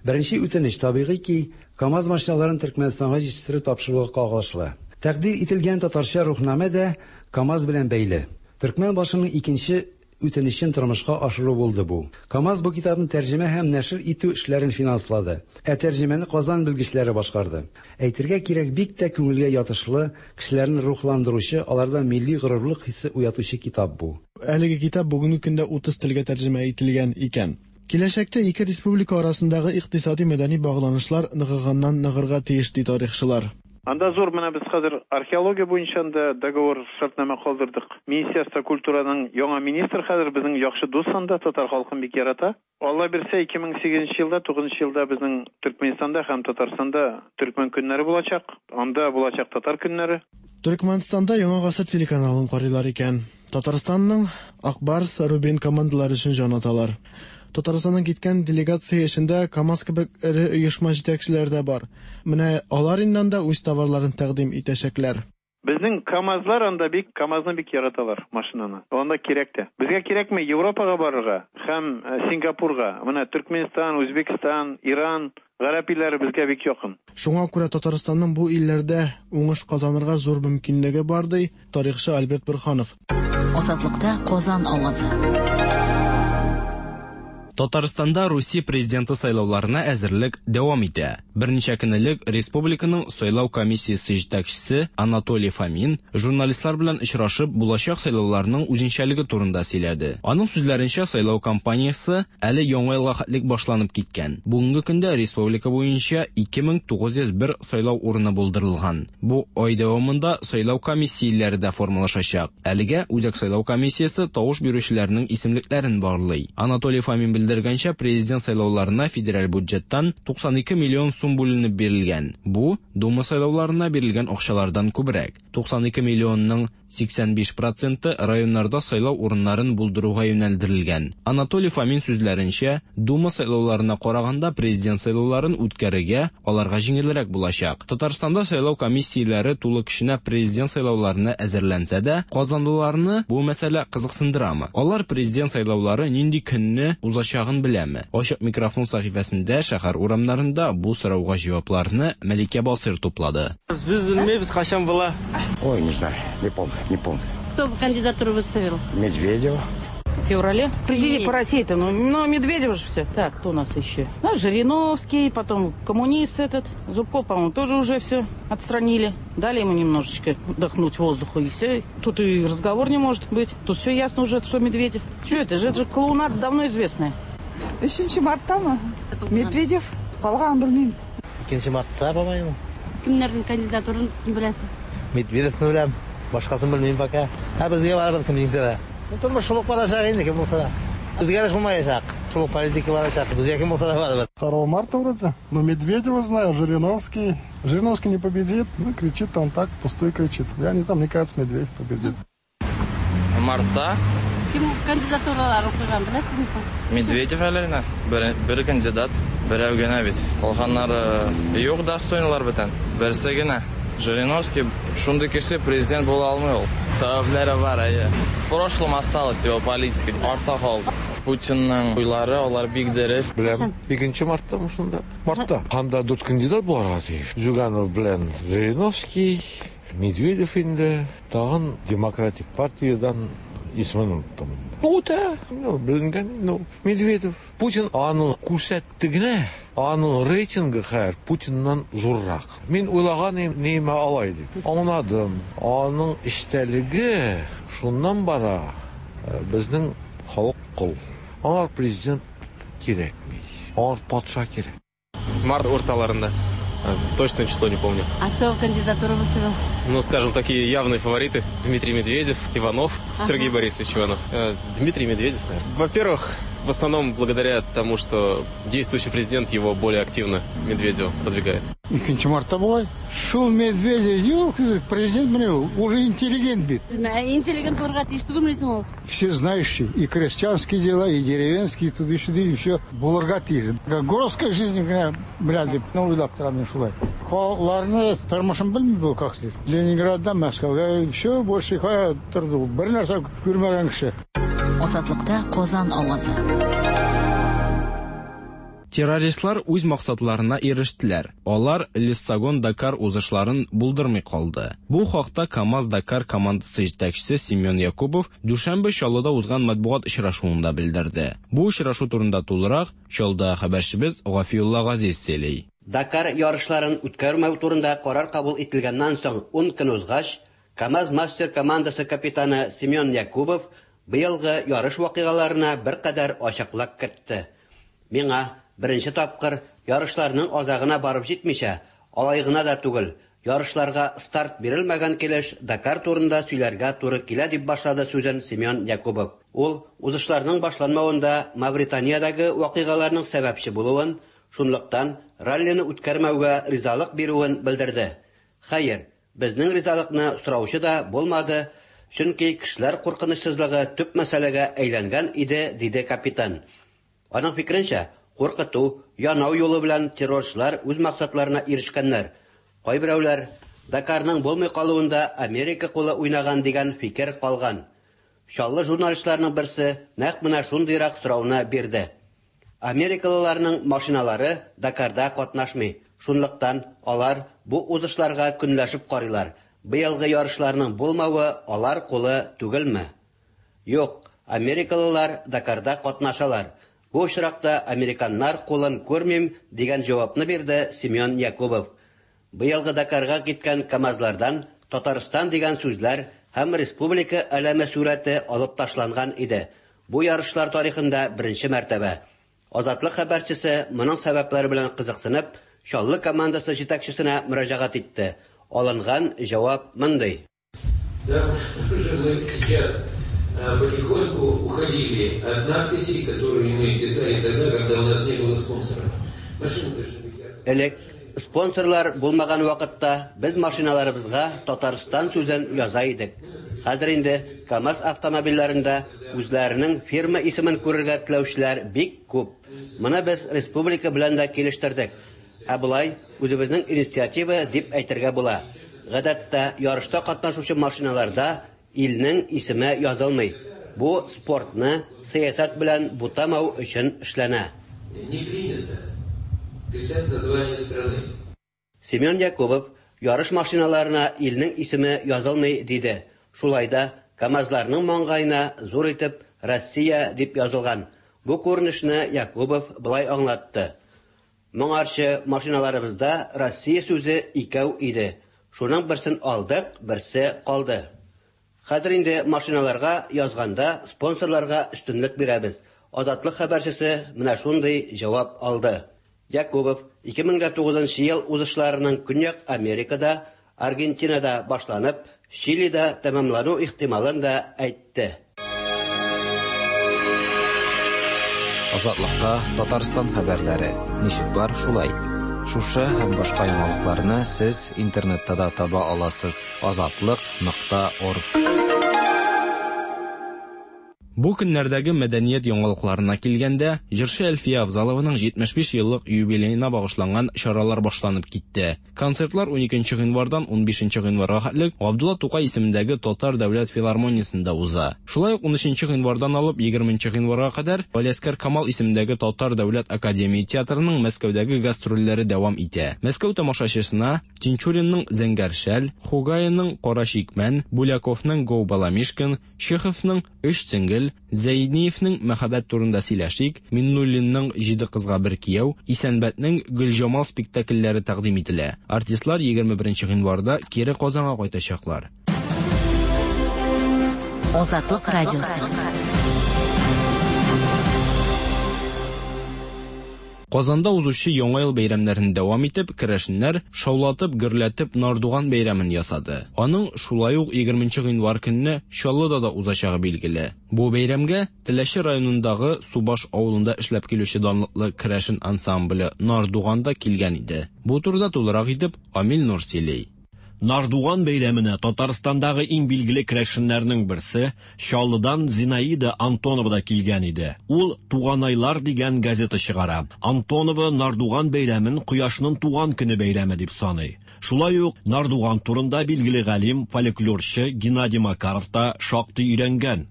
Беренче үтенеч табигый ки, КАМАЗ машиналарын Төркмәнстанга җитештереп тапшыруга кагылышлы. Тәкъдир ителгән татарча рухнамә дә КАМАЗ белән бәйле. Төркмән башының икенче үтенечен тормышка ашыру булды бу. КАМАЗ бу китапны тәрҗемә һәм нәшер итү эшләрен финанслады. Ә тәрҗемәне Казан белгечләре башкарды. Әйтергә кирәк, бик тә күңелгә ятышлы, кешеләрне рухландыручы, аларда милли горурлык хисе уятучы китап бу. Әлеге китап бүгенге көндә утыз телгә тәрҗемә ителгән икән. Киләчәктә ике республика арасындагы икътисади мәдәни багланышлар ныгыганнан ныгырга тиеш, ди тарихчылар. Анда зур менә без хәзер археология буенча да договор шартнама калдырдык. Министерство культураның яңа министр хәзер безнең яхшы дус анда, татар халкын бик ярата. Алла бирсә, ике мең сигезенче елда, тугызынчы елда безнең Төркмәнстанда һәм Татарстанда төркмән көннәре булачак. Анда булачак татар көннәре. Төркмәнстанда Яңа гасыр телеканалын карыйлар икән. Татарстанның Акбарс, Рубин командалары өчен җан аталар. Татарстаннан киткән делегация эчендә КАМАЗ кебек эре оешма җитәкчеләре дә бар. Менә алар инде анда үз товарларын тәкъдим итәчәкләр. Безнең КАМАЗлар анда бик, КАМАЗны бик яраталар машинаны. Анда кирәк тә. Безгә кирәкме Европага барырга һәм Сингапурга? Менә Төркмәнстан, Үзбәкстан, Иран, гарәп илләре безгә бик якын. Шуңа күрә Татарстанның бу илләрдә уңыш казанырга зур мөмкинлеге бар, ди тарихчы Альберт Бурханов. Азатлыкта Казан авазы. Татарстанда Русия президенты сайлауларына әзерлек дәвам итә. Берничә көн элек республиканың сайлау комиссиясе җитәкчесе Анатолий Фомин журналистлар белән очрашып булачак сайлауларның үзенчәлеге турында сөйләде. Аның сүзләренчә, сайлау кампаниясе әле яңа елга хәтлек башланып киткән. Бүгенге көндә республика буенча ике мең тугыз йөз бер сайлау урыны булдырылган. Бу ай дәвамында сайлау комиссияләре дә формалашачак. Әлегә Үзәк сайлау комиссиясе тавыш бирүчеләрнең исемлекләрен барлый. Анатолий Фомин белдергәнчә, президент сайлауларына федераль бюджеттан туксан ике миллион сум бүленеп бирелгән. Бу Дума сайлауларына бирелгән акчалардан күбрәк. туксан ике миллионның сиксән биш проценты районнарда сайлау урыннарын булдыруга юнәлдерелгән. Анатолий Фомин сүзләренчә, Дума сайлауларына караганда президент сайлауларын үткәрергә аларга җиңелрәк булачак. Татарстанда сайлау комиссияләре тулы көченә президент сайлауларына әзерләнсә дә, казанлыларны бу мәсьәлә кызыксындырамы? Алар президент сайлаулары нинди көнне узачагын беләме? Ачык микрофон сәхифәсендә шәһәр урамнарында бу сорауга җавапларны Мәликә Басыр туплады. Без белмибез, кайчан була. Ой, не знаю, не помню. Не помню. Кто бы кандидатуру выставил? Медведева. В феврале. Президент по России-то, ну, но Медведев же все. Так, кто у нас еще? Ну, Жириновский, потом коммунист этот. Зубков, по-моему, тоже уже все отстранили. Дали ему немножечко вдохнуть воздуху, и все. Тут и разговор не может быть. Тут все ясно уже, что Медведев. Что это же? Это же клоунада давно известная. Өченче мартта Медведев калган белмим. Икенче мартта, по-моему. Кемнәрнең кандидатурын сез беләсез? Медведевны беләм. Башкасын белмим пока. Ә безгә барыбер кем җиңсә дә. Тормыш шул ук барачак инде, кем булса да. Үзгәреш булмаячак. Шул политика барачак. Безгә кем булса да барыбер. второго марта вроде. Ну, Медведева знаю, Жириновский. Жириновский не победит. Ну, кричит он так, пустой кричит. Я не знаю, мне кажется, Медведев победит. Мартта. Кем кандидатураларын куйган, беләсезме соң? Медведев әле генә. Бер, бер кандидат, берәү генә бит. Калганнары юк, достойныйлар бөтен. Берсе генә. Жириновский шундый кеше президент була алмый ул. Сәбәпләре бар, әйе. В прошлом осталась его политика. Артта калды. Путинның уйлары, алар бик дөрес. Беләм, икенче мартта шунда. Мартта. Анда дүрт кандидат буларга тиеш. Зюганов белән Жириновский, Медведев инде, тагын Демократик партиядан исемен оныттым. Ну, үтә, ну, беленгән, ну, Медведев. Путин аны күрсәтте генә, аның рейтингы хәзер Путиннан зуррак. Мин уйлаган идем, нимә алай дип. Аңладым. Аның эчтәлеге шуннан бара. Безнең халык кол. Аңар президент кирәкми. Аңар патша кирәк. Март урталарында. Точное число не помню. А кто кандидатуру выставил? Ну, скажем, такие явные фавориты. Дмитрий Медведев, Иванов, ага. Сергей Борисович Иванов. Дмитрий Медведев, наверное. Во-первых, в основном благодаря тому, что действующий президент его более активно, Медведева, продвигает. Икенче мартта бугай. Шул Медведев юк, президент менә ул, уже интеллигент бит. Интеллигент булырга тиеш түгелме соң ул? Все знающие, и крестьянские дела, и деревенские, туда-сюда, и все булырга тиеш. Городская жизнь генә белә дип, ну, уйлап торам мин шулай. Халыкларны тормышын белми бу как следует. Ленинграддан Мәскәүгә, все, больше кая торды ул. Бер нәрсә күрмәгән кеше. Азатлыкта Казан авазы. Террористлар үз максатларына ирештеләр. Алар Лиссагон-Дакар узышларын булдырмый калды. Бу хакта КАМАЗ-Дакар командасы җитәкчесе Семен Якубов дүшәмбе Чаллыда узган матбугат очрашуында белдерде. Бу очрашу турында тулырак Чаллыда хәбәрчебез Гафиулла Газиз сөйли. Дакар ярышларын үткәрмәү турында карар кабул ителгәннән соң ун көн узгач, КАМАЗ-Мастер командасы капитаны Семен Якубов быелгы ярыш вакыйгаларына беркадәр ачыклык кертте. Миңа беренче тапкыр ярышларның азагына барып җитмичә, алай гына да түгел, ярышларга старт бирелмәгән килеш Дакар турында сөйләргә туры килә дип башлады сүзен Семен Якубов. Ул узышларның башланмавында Мавританиядәге вакыйгаларның сәбәпче булуын, шунлыктан раллины үткәрмәүгә ризалык бирүен белдерде. Хәер, безнең ризалыкны сораучы да булмады, чөнки кешеләр куркынычсызлыгы төп мәсьәләгә әйләнгән иде, диде капитан. Аның фикеренчә, куркыту, янау юлы белән террорчылар үз максатларына ирешкәннәр. Кайберәүләр Дакарның булмый калуында Америка кулы уйнаган дигән фикер калган. Чаллы журналистларның берсе нәкъ менә шундыйрак сорауны бирде. Америкалыларның машиналары Дакарда катнашмый. Шунлыктан алар бу узышларга көнләшеп карыйлар. Быелгы ярышларның булмавы алар кулы түгелме? Юк, америкалылар Дакарда катнашалар. Бу очракта американнар кулын күрмим дигән җавапны бирде Семен Якубов. Быелгы Дакарга киткән КАМАЗлардан Татарстан дигән сүзләр һәм республика әләме сурәте алып ташланган иде. Бу ярышлар тарихында беренче мәртәбә. Азатлык хәбәрчесе моның сәбәпләре белән кызыксынып, Чаллы командасы җитәкчесенә мөрәҗәгать итте. Алынган җавап мондый. Да, уже мы сейчас потихоньку уходили от надписей, которые мы писали тогда, когда у нас не было спонсоров. Машины должны быть яркие. Элек спонсорлар булмаган вакытта без машиналарыбызга Татарстан сүзен яза идек. Хәзер инде КАМАЗ автомобильләрендә үзләренең фирма исемен күрергә теләүчеләр бик күп. Моны без республика белән дә килештердек. Ә болай үзебезнең инициатива дип әйтергә була. Гадәттә ярышта катнашучы машиналарда илнең исеме язылмый. Бу спортны сәясәт белән бутамау өчен эшләнә. Не принято писать название страны. Семен Якубов ярыш машиналарына илнең исеме язылмый диде. Шулай да КАМАЗларның маңгаена зур итеп Россия дип язылган. Бу күренешне Якубов былай аңлатты. Моңарчы машиналарыбызда Россия сүзе икәү иде. Шуның берсен алдык, берсе калды. Хәзер инде машиналарга язганда спонсорларга өстенлек бирәбез. Азатлык хәбәрчесе менә шундый җавап алды. Якубов ике мең тугызынчы ел узышларының Көньяк Америкада, Аргентинада башланып, Чилида тәмамлану ихтималын да әйтте. Азатлыкта Татарстан хәбәрләре. Ничек бар, шулай. Шушы һәм башка яңалыкларны сез интернетта да таба аласыз. Азатлык нокта орг. Бу көннәрдәге мәдәният яңалыкларына килгәндә, җырчы Әлфия Авзалованың җитмеш биш еллык юбилеена багышланган чаралар башланып китте. Концертлар уникенче гыйнвардан унбишенче гыйнварга хәтлек Габдулла Тукай исемендәге Татар дәүләт филармониясендә уза. Шулай ук унөченче гыйнвардан алып егерменче гыйнварга кадәр Галиәсгар Камал исемендәге Татар дәүләт академия театрының Мәскәүдәге гастрольләре дәвам итә. Мәскәү тамашачысына Тинчуринның Зәңгәр шәл, Хугаинның Кара чикмән, Буляковның Гоу Баламишкин, Чеховның Өч сеңгел, Зәйниевнең Мәхәббәт турында сөйләшик, Миннуллинның Җиде кызга бер кияү, Исәнбәтнең Гөлҗамал спектакльләре тәкъдим ителә. Артистлар егерме беренче гыйнварда кире Казанга кайтачаклар. Азатлык радиосы. Казанда узучы Яңа ел бәйрәмнәрен дәвам итеп, керәшеннәр шаулатып, гөрләтеп Нардуган бәйрәмен ясады. Аның шулай ук егерменче гыйнвар көнне Чаллыда да узачагы билгеле. Бу бәйрәмгә Теләче районындагы Субаш авылында эшләп килүче данлыклы керәшен ансамбле Нардуган да килгән иде. Бу турыда тулырак итеп Амил Нур сөйли. Нардуган бәйрәменә Татарстандагы иң билгеле керәшеннәрнең берсе Чаллыдан Зинаида Антонова да килгән иде. Ул Туганайлар дигән газета чыгара. Антонова Нардуган бәйрәмен Кояшның туган көне бәйрәме дип саный. Шулай ук Нардуган турында билгеле галим, фольклорчы Геннадий Макаров та шактый өйрәнгән.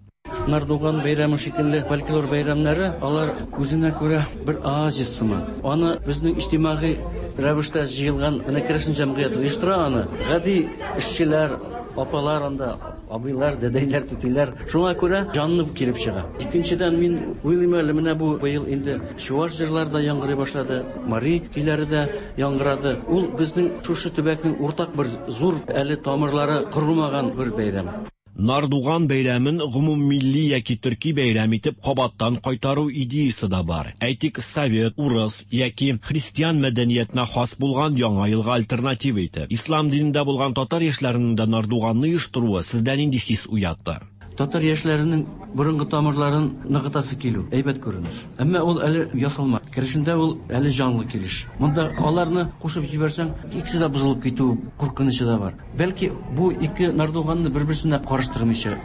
Нардуган бәйрәме шикелле фольклор бәйрәмнәре алар үзенә күрә бер оазис сыман. Аны безнең иҗтимагый рәвештә җыелган менә керәшен җәмгыяте оештыра аны. Гади эшчеләр, апалар анда, абыйлар, дәдәйләр, түтиләр. Шуңа күрә җанлы килеп чыга. Икенчедән, мин уйлыйм әле, менә бу быел инде чуаш җырлары да яңгырый башлады, мари көйләре дә яңгырады. Ул безнең шушы төбәкнең уртак бер зур әле тамырлары корылмаган бер бәйрәм. Нардуган бәйрәмен гомуммилли яки төрки бәйрәм итеп кабаттан кайтару идеясы да бар. Әйтик, совет, урыс яки христиан мәдәниятенә хас булган яңа елга альтернатива итеп. Ислам динендә булган татар яшьләренең дә Нардуганны оештыруы сездә нинди хис уятты? Татар яшьләренең борынгы тамырларын ныгытасы килү әйбәт күренеш. Әмма ул әле ясалма. Керәшендә ул әле җанлы килеш. Монда аларны кушып җибәрсәң, икесе дә бозылып китү куркынычы да бар. Бәлки бу ике Нардуганны бер-берсенә карыштырмыйча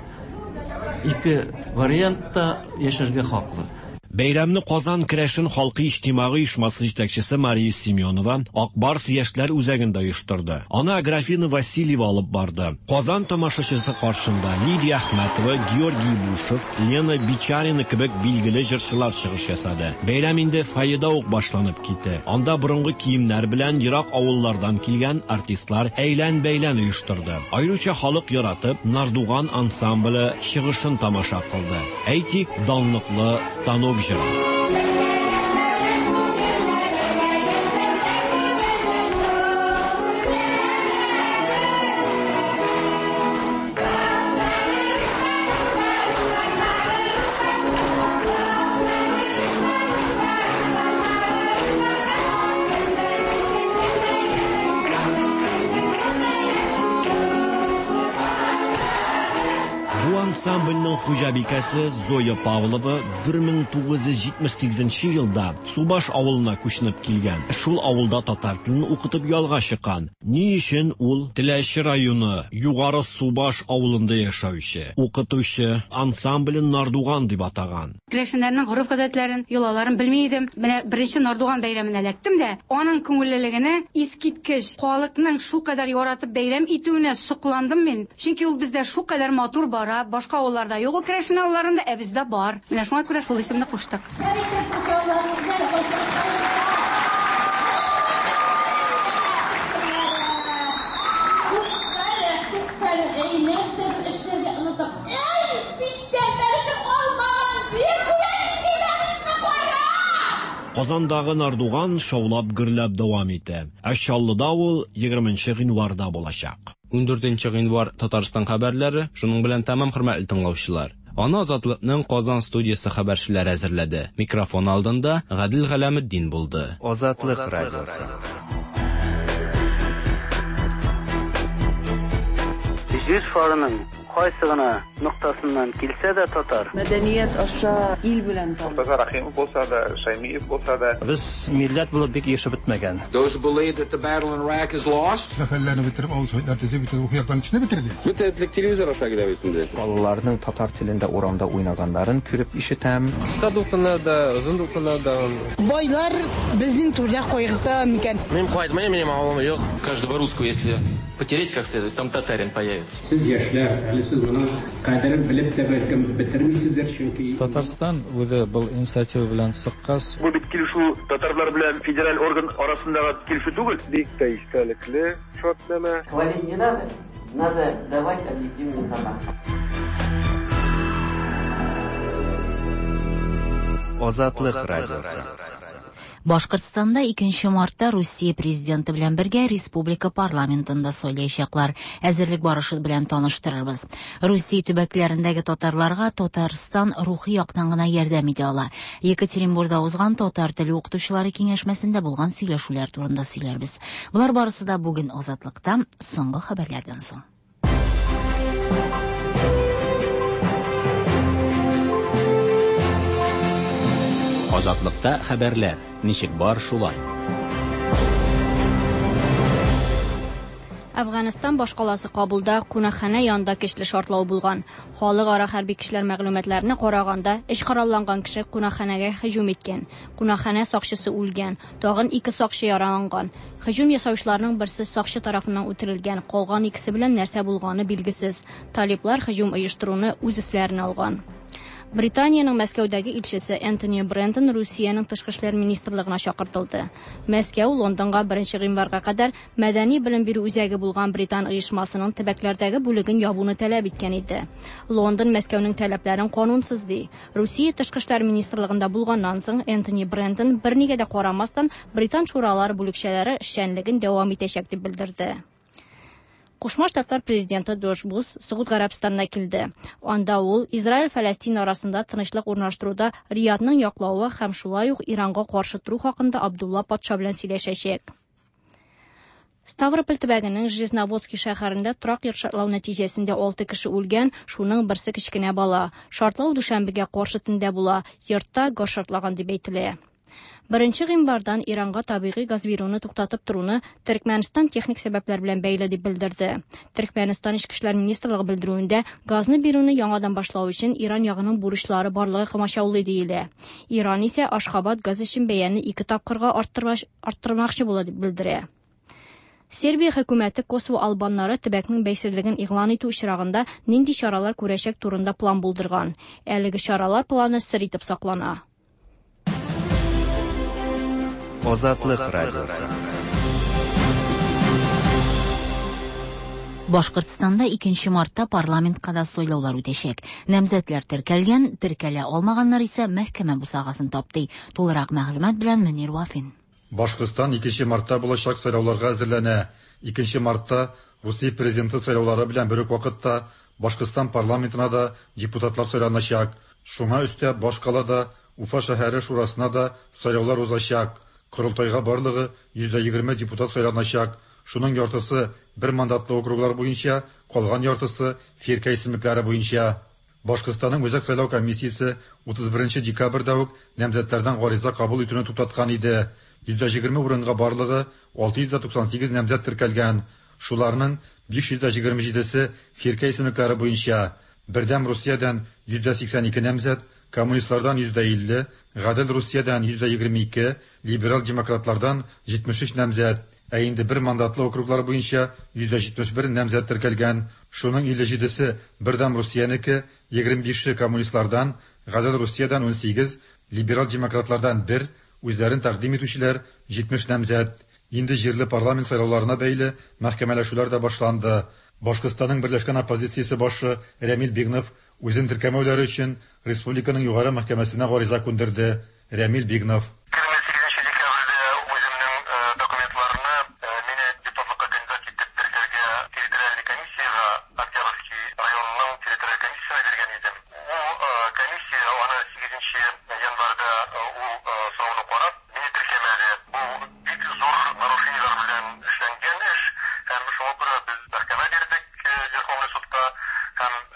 ике вариантта яшәргә хаклы. Бәйрәмне Казан керәшен халкы иҗтимагый оешмасы җитәкчесе Мария Семенова Акбарс яшьләр үзәгендә оештырды. Аны Аграфина Васильева алып барды. Казан тамашачысы каршында Лидия Әхмәтова, Георгий Бушев, Лена Бичарина кебек билгеле җырчылар чыгыш ясады. Бәйрәм инде фойеда ук башланып китте. Анда борынгы киемнәр белән ерак авыллардан килгән артистлар әйлән-бәйлән оештырды. Аеруча халык яратып Нардуган ансамбле чыгышын тамаша кылды. Әйтик, данлыклы станок җыры. Ансамбльның хуҗабикәсе Зоя Павлова бер мең тугыз йөз җитмеш сигезенче елда Субаш авылына күченеп килгән. Шул авылда татар телен укытып ялга чыккан. Ни өчен ул Теләче районы Югары Субаш авылында яшәүче укытучы ансамблен Нардуган дип атаган. Керәшеннәрнең гореф-гадәтләрен, йолаларын белми идем. Менә беренче Нардуган бәйрәменә эләктем дә, аның күңеллелегенә искиткеч, халыкның шулкадәр яратып бәйрәм итүенә сокландым мин. Чөнки ул бездә шулкадәр матур бара, башка авылларда юк ул керәшен авылларында, ә бездә бар. Менә шуңа күрә шул исемне куштык. Казандагы Нардуган шаулап гөрләп дәвам итә. Ә Чаллыда ул егерменче гыйнварда булачак. Ундүртенче гыйнвар Татарстан хәбәрләре шуның белән тәмам, хөрмәтле тыңлаучылар. Аны Азатлыкның Казан студиясе хәбәрчеләре әзерләде. Микрофон алдында Гадил Галәметдин булды. Азатлык радиосы. Җир шарының Кайсы гына ноктасыннан килсә дә татар. Мәдәният аша ил белән таныш. Мортаза Рахимов булса да, Шаймиев булса да. Без милләт булып бик яшәп бетмәгән. Those who believe that the battle in Iraq is lost. Сәфәрләрне бетереп, авыл советлар төзеп, бөтен рухи яктан кешене бетерде. Бөтен телевизор аша килә бит инде. Балаларның татар телендә урамда уйнаганнарын күреп ишетәм. Кыска дулкыннар да, озын дулкыннар да. Байлар безнең түрдә кайгырта микән? Мин кайтмыйм, минем авылым юк. Каждого русского, если потереть как следует, там татарин появится. Сез яшьләр, әле сез моның кадерен белеп тә бәлкем бетермисездер, чөнки Татарстан үзе был инициатива белән чыккач, бу бит килешү татарлар белән федераль орган арасындагы килешү түгел. Бик тә истәлекле шартнамә. Хвалить не надо, надо давать объективную информацию. Азатлык радиосы. Башкортстанда икенче мартта Русия президенты белән бергә республика парламентында сайлаячаклар. Әзерлек барышы белән таныштырырбыз. Русия төбәкләрендәге татарларга Татарстан рухи яктан гына ярдәм итә ала. Екатеринбургда узган татар теле укытучылары киңәшмәсендә булган сөйләшүләр турында сөйләрбез. Болар барысы да бүген Азатлыкта соңгы хәбәрләрдән соң. Азатлыкта хәбәрләр ничек бар шулай. Афганистан башкаласы Кабулда кунакханә янында көчле шартлау булган. Халыкара хәрби кешеләр мәгълүматларына караганда, эш коралланган кеше кунакханәгә һөҗүм иткән. Кунакханә сакчысы үлгән, тагын ике сакчы яраланган. Һөҗүм ясаучыларның берсе сакчы тарафыннан үтерелгән, калган икесе белән нәрсә булганы билгесез. Талиблар һөҗүм оештыруны үз өсләренә алган. Британиянең Мәскәүдәге илчесе Энтони Брентон Русиянең тышкы эшләр министрлыгына чакыртылды. Мәскәү Лондонга беренче гыйнварга кадәр мәдәни белем бирү үзәге булган Британ оешмасының төбәкләрдәге бүлеген ябуны таләп иткән иде. Лондон Мәскәүнең таләпләрен канунсыз ди. Русия тышкы эшләр министрлыгында булганнан соң Энтони Брентон бернигә дә карамастан Британ шуралары бүлекчәләре эшчәнлеген дәвам итәчәк дип белдерде. Кушма Штатлар президенты Джордж Буш Согуд Гарәбстанына килде. Анда ул Израиль-Фәләстин арасында тынычлык урнаштыруда Риядның яклавы һәм шулай ук Иранга каршы тору хакында Абдулла патша белән сөйләшәчәк. Ставрополь төбәгенең Железноводский шәһәрендә торак йорт шартлау нәтиҗәсендә алты кеше үлгән, шуның берсе кечкенә бала. Шартлау дүшәмбегә каршы төндә була. Йортта газ шартлаган дип әйтелә. Беренче гыйнвардан Иранга табигый газ бирүне туктатып торуны Төркмәнстан техник сәбәпләр белән бәйле дип белдерде. Төркмәнстан Эчке эшләр министрлыгы белдерүендә газны бирүне яңадан башлау өчен Иран ягының бурычлары барлыгы комачаулый диелә. Иран исә Ашхабад газ өчен бәяне ике тапкырга арттырмакчы була дип белдерә. Сербия хөкүмәте Косово албаннары төбәкнең бәйсезлеген игълан итү очрагында нинди чаралар күрәчәк турында план булдырган. Әлеге чаралар планы сер итеп саклана. Азатлык радиосы. Башкортстанда икенче мартта парламентка да сайлаулар үтәчәк. Намзәтләр теркәлгән, теркәлә алмаганнар исә мәхкәмә бусагасын тапты. Тулырак мәгълүмат белән Мөнир Вафин. Башкортстан икенче мартта булачак сайлауларга әзерләнә. икенче мартта Русия президенты сайлаулары белән бер үк вакытта Башкортстан парламентына да депутатлар сайланачак. Шуңа өстәп башкалада Уфа шәһәре шурасына да сайлаулар узачак. Корылтайга барлыгы йөз егерме депутат сайланачак. Шуның яртысы бер мандатлы округлар буенча, калган яртысы фирка исемлекләре буенча. Башкортстанның Үзәк сайлау комиссиясе утыз беренче декабрьдә үк намзәтләрдән гариза кабул итүне туктаткан иде. йөз егерме урынга барлыгы алты йөз туксан сигез намзәт теркәлгән. Шуларның биш йөз егерме җидесе фирка исемлекләре буенча. Бердәм Русиядән йөз сиксән ике намзәт, коммунистлардан йөз илле, Гадел Русиядән йөз егерме ике, либерал демократлардан җитмеш өч намзәт. Ә инде бер мандатлы округлар буенча йөз җитмеш бер намзәт теркәлгән. Шуның илле җидесе Бердәм Русиянеке, егерме бише коммунистлардан, Гадел Русиядән ун сигез, либерал демократлардан бер, үзләрен тәкъдим итүчеләр җитмеш намзәт. Инде җирле парламент сайлауларына бәйле мәхкәмәләшүләр дә башланды. Башкортстанның берләшкән оппозициясе башы Рәмил Бигнов үзен теркәмәүләре өчен республиканың югары мәхкәмәсенә гариза күндерде. Рәмил Бигнов. Һәм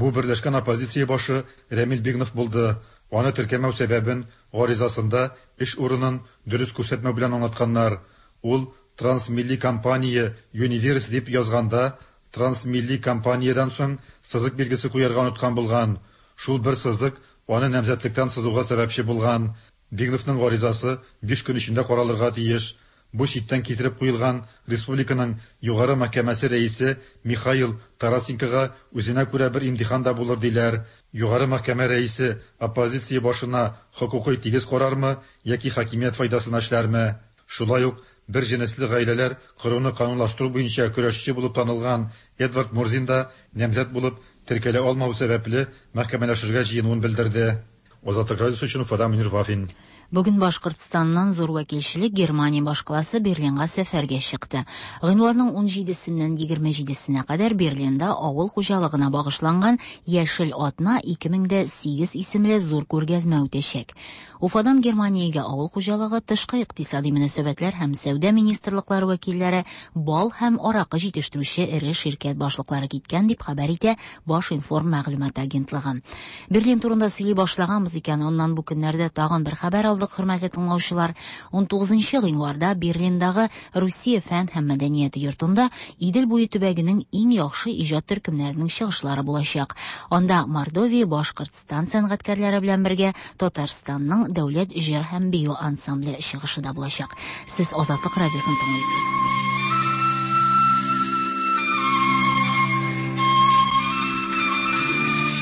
Бу берләшкән оппозиция башы Рәмил Бигнов булды. Аны теркәмәү сәбәбен гаризасында эш урынын дөрес күрсәтмәү белән аңлатканнар. Ул Трансмилли компания Юниверс дип язганда Трансмилли компаниядән соң сызык билгесе куярга оныткан булган. Шул бер сызык аны намзәтлектән сызуга сәбәпче булган. Бигновның гаризасы биш көн эчендә каралырга тиеш. Бу читтән китереп куелган республиканың Югары мәхкәмәсе рәисе Михаил Тарасенкога үзенә күрә бер имтихан да булыр диләр. Югары мәхкәмә рәисе оппозиция башына хокукый тигез карармы яки хакимият файдасына эшләрме? Шулай ук бер җенесле гаиләләр коруны канунлаштыру буенча көрәшче булып танылган Эдвард Мурзин да намзәт булып теркәлә алмау сәбәпле мәхкәмәләшергә җыенуын белдерде. Азатлык радиосы өчен Уфадан Мөнир Вафин. Бүген Башкортстаннан зур вәкилчелек Германия башкаласы Берлинга сәфәргә чыкты. Гыйнварның ун җидесеннән егерме җидесенә кадәр Берлинда авыл хуҗалыгына багышланган Яшел атна ике мең дә сигез исемле зур күргәзмә үтәчәк. Уфадан Германиягә авыл хуҗалыгы, тышкы икътисади мөнәсәбәтләр һәм сәүдә министрлыклары вәкилләре, бал һәм аракы җитештерүче эре ширкәт башлыклары киткән дип хәбәр итә Башинформ мәгълүмат агентлыгы. Берлин турында сөйли башлаганбыз икән, аннан бу көннәрдә тагын бер хәбәр алдык, хөрмәтле тыңлаучылар. ун тугызынчы гыйнварда Берлиндагы Русия фән һәм мәдәнияте йортында Идел буе төбәгенең иң яхшы иҗат төркемнәренең чыгышлары булачак. Анда Мордовия, Башкортстан сәнгатькәрләре белән бергә Татарстанның дәүләт җыр һәм бию ансамбле чыгышы да булачак. Сез Азатлык радиосын тыңлыйсыз.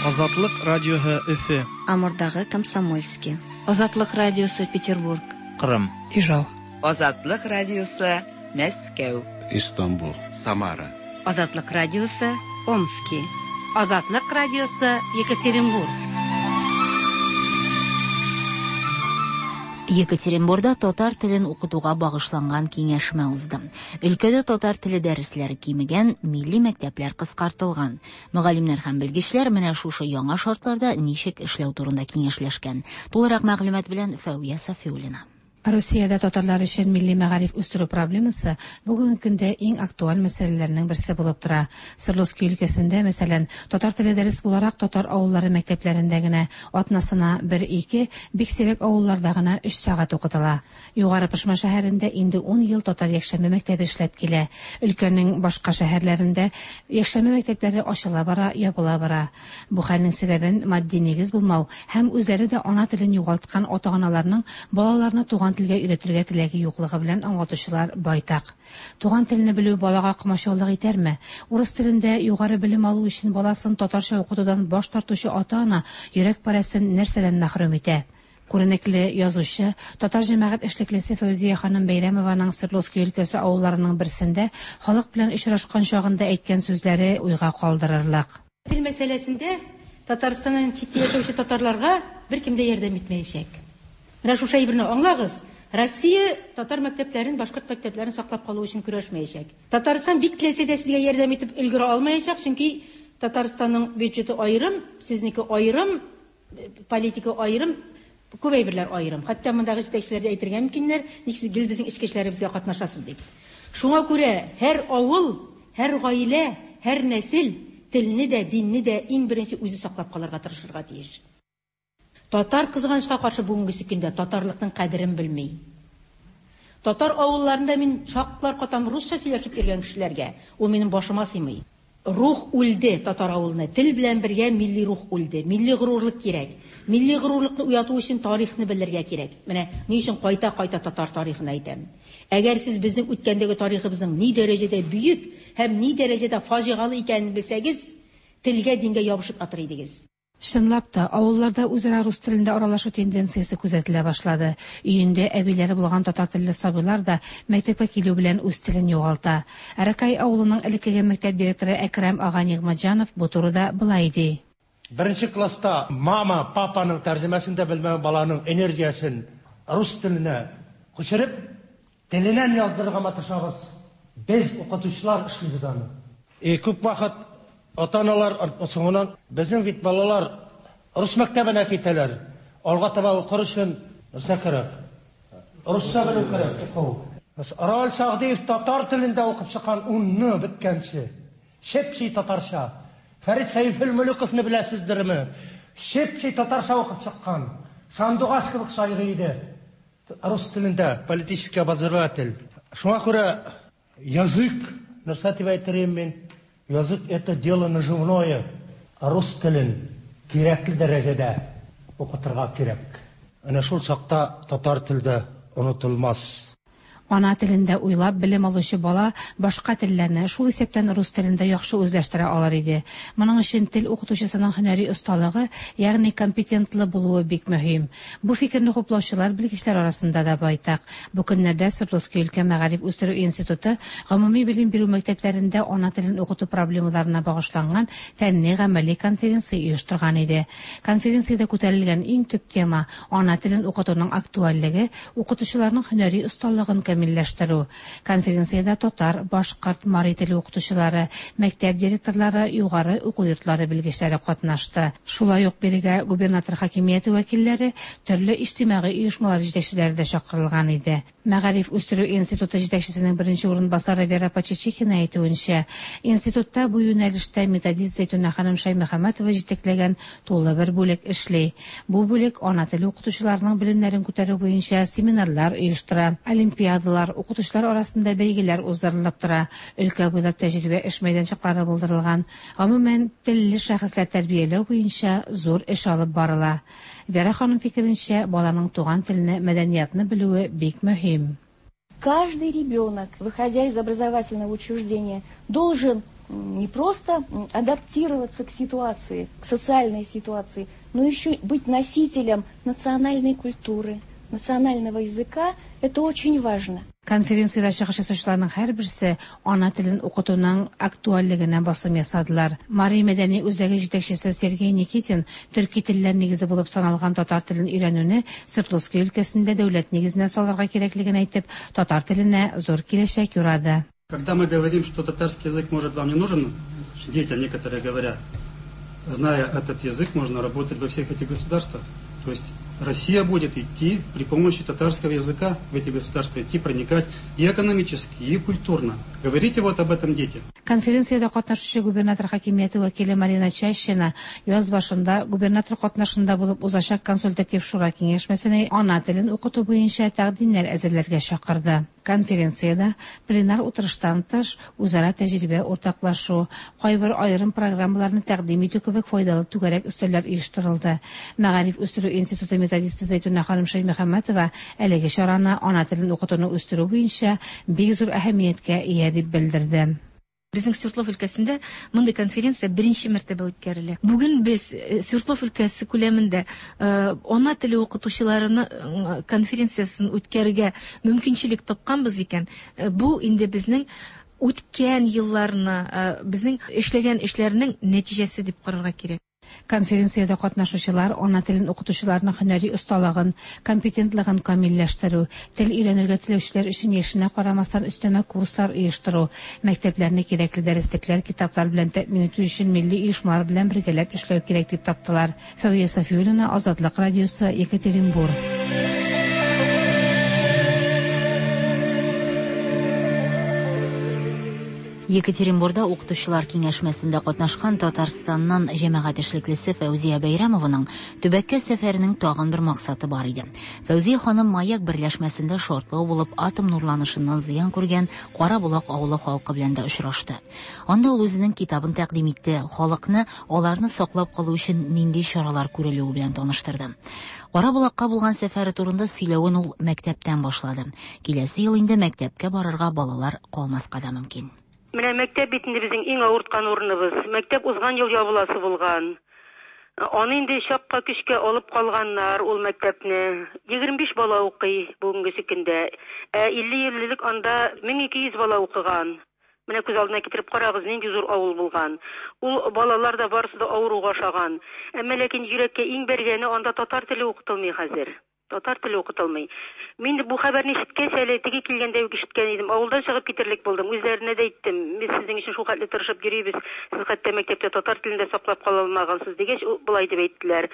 Азатлык радиоһы Өфө. Амурдагы Комсомольский. Азатлык радиосы Петербург. Кырым. Ижау. Азатлык радиосы Мәскәү. Истанбул. Самара. Азатлык радиосы Омски. Азатлык радиосы Екатеринбург. Екатеринбургда татар телен укытуга багышланган киңәшмә узды. Өлкәдә татар теле дәресләре кимегән, милли мәктәпләр кыскартылган. Мөгаллимнәр һәм белгечләр менә шушы яңа шартларда ничек эшләү турында киңәшләшкән. Тулырак мәгълүмат белән Фәүя Сафиуллина. Русиядә татарлар өчен милли мәгариф үстерү проблемасы бүгенге көндә иң актуаль мәсьәләләрнең берсе булып тора. Свердловский өлкәсендә, мәсәлән, татар теле дәрес буларак татар авыллары мәктәпләрендә генә атнасына бер-ике, бик сирәк авылларда гына өч сәгать укытыла. Югары Пышма шәһәрендә инде ун ел татар якшәмбе мәктәбе эшләп килә. Өлкәнең башка шәһәрләрендә якшәмбе мәктәпләре ачыла бара, ябыла бара. Бу хәлнең сәбәбен матди нигез булмау һәм үзләре дә ана телен югалткан ата-аналарның балаларны туган телгә өйрәтергә теләге юклыгы белән аңлатучылар байтак. Туган телне белү балага комачаулык итәрме? Урыс телендә югары белем алу өчен баласын татарча укытудан баш тартучы ата-ана йөрәк парәсен нәрсәдән мәхрүм итә? Күренекле язучы, татар җәмәгать эшлеклесе Фәүзия ханым Бәйрәмованың Свердловский өлкәсе авылларының берсендә халык белән очрашкан чагында әйткән сүзләре уйга калдырырлык. Тел мәсьәләсендә Татарстаннан читтә яшәүче татарларга беркем дә ярдәм итмәячәк. Менә шушы әйберне аңлагыз. Россия татар мәктәпләрен, башкорт мәктәпләрен саклап калу өчен көрәшмәячәк. Татарстан бик теләсә дә сезгә ярдәм итеп өлгерә алмаячак, чөнки Татарстанның бюджеты аерым, сезнеке аерым, политика аерым, күп әйберләр аерым. Хәтта мондагы җитәкчеләр дә әйтергә мөмкиннәр, ник сез гел безнең эчке эшләребезгә катнашасыз дип. Шуңа күрә һәр авыл, һәр гаилә, һәр нәсел телне дә, динне дә иң беренче үзе саклап калырга тырышырга тиеш. Татар кызганычка каршы бүгенге көндә татарлыкның кадерен белми. Татар авылларында мин шаклар катам русча сөйләшеп йөргән кешеләргә, ул минем башыма сыймый. Рух үлде татар авылына, тел белән бергә милли рух үлде. Милли горурлык кирәк. Милли горурлыкны уяту өчен тарихны белергә кирәк. Менә ни өчен кайта-кайта татар тарихын әйтәм. Әгәр сез безнең үткәндәге тарихыбызның ни дәрәҗәдә бөек һәм ни дәрәҗәдә фаҗигалы икәнен белсәгез, телгә, дингә ябышып атыр идегез. Чынлап та, авылларда үзара рус телендә аралашу тенденциясе күзәтелә башлады. Өендә әбиләре булган татар телле сабыйлар да мәктәпкә килү белән үз телен югалта. Аракай авылының элеккеге мәктәп директоры Әкрәм ага Нигъмәтҗанов бу турыда былай ди. Беренче класста мама, папаның тәрҗемәсен дә белмәгән баланың энергиясен рус теленә күчереп, теленнән яздырырга маташабыз. Без укытучылар эшлибез аны. И күп вакыт ата-аналар соңыннан безнең бит балалар рус мәктәбенә китәләр. Алга таба укыр өчен нәрсә кирәк? Русча белү кирәк, уку. Рал Сагдиев татар телендә укып чыккан унны беткәнче. Чепчи татарча. Фәрит Сәйфелмөлөковны беләсездерме? Чеп-чи татарча укып чыккан. Сандугач кебек сайрый иде. Рус телендә политический обозреватель. Шуңа күрә язык, нәрсә дип әйтер идем мин? Язык это дело наживное. Рус телен кирәкле дәрәҗәдә укытырга кирәк. Әнә шул чакта татар телдә онытылмас. Ана телендә уйлап белем алучы бала башка телләрне, шул исәптән рус телен дә яхшы үзләштерә алыр иде. Моның өчен тел укытучысының һөнәри осталыгы, ягъни компетентлы булуы бик мөһим. Бу фикерне хуплаучылар белгечләр арасында да байтак. Бу көннәрдә Свердловский өлкә мәгариф үстерү институты гомуми белем бирү мәктәпләрендә ана телен укыту проблемаларына багышланган фәнни гамәли конференция оештырган иде. Конференциядә күтәрелгән иң төп тема ана телен укытуның актуальлеге, укытучыларның һөнәри осталыгын камилләштерү. Конференциядә татар, башкорт, мари теле укытучылары, мәктәп директорлары, югары уку йортлары белгечләре катнашты. Шулай ук бирегә губернатор хакимияте вәкилләре, төрле иҗтимагый оешмалар җитәкчеләре дә чакырылган иде. Мәгариф үстерү институты җитәкчесенең беренче урынбасары Вера Почечихина әйтүенчә, институтта бу юнәлештә методист Зәйтүнә ханым Шәймөхәммәтова җитәкләгән тулы бер бүлек эшли. Бу бүлек ана теле укытучыларының белемнәрен күтәрү буенча семинарлар оештыра, олимпиадалар, укытучылар арасында бәйгеләр уздырылып тора, өлкә буйлап тәҗрибә эш мәйданчыклары булдырылган. Гомумән, телле шәхесләр тәрбияләү буенча зур эш алып барыла. Вера ханым фикеренчә, баланың туган телене, мәдәниятны белүе бик мөһим. Каждый ребенок, выходя из образовательного учреждения, должен не просто адаптироваться к ситуации, к социальной ситуации, но еще быть носителем национальной культуры, национального языка. Это очень важно. Конференциядә чыгыш ясаучыларның һәрберсе ана телен укытуның актуальлегенә басым ясадылар. Мари мәдәни үзәге җитәкчесе Сергей Никитин төрки телләр нигезе булып саналган татар телен өйрәнүне Свердловский өлкәсендә дәүләт нигезенә салырга кирәклеген әйтеп, татар теленә зур киләчәк юрады. Когда мы говорим, что татарский язык может вам не нужен, детям некоторые говорят, зная этот язык, можно работать во всех этих государствах. То есть Россия будет идти при помощи татарского языка в эти государства, идти, проникать и экономически, и культурно. Говорите вот об этом детям. Конференциядә катнашучы губернатор хакимияте вәкиле Марина Чащина яз башында губернатор катнашында булып узачак консультатив шура киңәшмәсенә ана телен укыту буенча тәкъдимнәр әзерләргә чакырды. Конференциядә пленар утырыштан тыш үзара тәҗрибә уртаклашу, кайбер аерым программаларны тәкъдим итү кебек файдалы түгәрәк өстәлләр оештырылды. Мәгариф үстерү институты методисты Зәйтүнә ханым Шәймөхәммәтова әлеге чараны ана телен укытуны үстерү буенча бик зур әһәмияткә ия дип белдерде. Безнең Свердлов өлкәсендә мондый конференция беренче мәртәбә үткәрелә. Бүген без Свердлов өлкәсе күләмендә ана теле укытучыларының конференциясын үткәрергә мөмкинчелек тапканбыз икән, бу инде безнең үткән елларны, безнең эшләгән эшләрнең нәтиҗәсе дип карарга кирәк. Конференциядә катнашучылар ана телен укытучыларның һөнәри осталыгын, компетентлыгын камилләштерү, тел өйрәнергә теләүчеләр өчен яшенә карамастан өстәмә курслар оештыру, мәктәпләрне кирәкле дәреслекләр, китаплар белән тәэмин итү өчен милли оешмалар белән бергәләп эшләү кирәк дип таптылар. Фәвия Сафиуллина, Азатлык радиосы, Екатеринбург. Екатеринбургда укытучылар киңәшмәсендә катнашкан Татарстаннан җәмәгать эшлеклесе Фәүзия Бәйрәмованың төбәккә сәфәренең тагын бер максаты бар иде. Фәүзия ханым Маяк берләшмәсендә шартлау булып атом нурланышыннан зыян күргән Караболак авылы халкы белән дә очрашты. Анда ул үзенең китабын тәкъдим итте, халыкны аларны саклап калу өчен нинди чаралар күрелүе белән таныштырды. Караболакка булган сәфәре турында сөйләвен ул мәктәптән башлады. Киләсе ел инде мәктәпкә барырга балалар калмаска да мөмкин. Менә мәктәп бит инде безнең иң авырткан урыныбыз. Мәктәп узган ел ябыласы булган. Аны инде чакка көчкә алып калганнар ул мәктәпне. егерме биш бала укый бүгенге көндә. Ә илле ел элек анда мең ике йөз бала укыган. Менә күз алдына китереп карагыз, нинди зур авыл булган. Ул балалар да барысы да авыруга ошаган. Әмма ләкин йөрәккә иң бәргәне анда татар теле укытылмый хәзер. Татар теле укытылмый. Мин бу хәбәрне ишеткәч, әле теге килгәндә үк ишеткән идем. Авылдан чыгып китерлек булдым. Үзләренә дә әйттем. Без сезнең өчен шул хәтле тырышып йөрибез. Сез хәтта мәктәптә татар телен дә саклап кала алмагансыз дигәч, болай дип әйттеләр.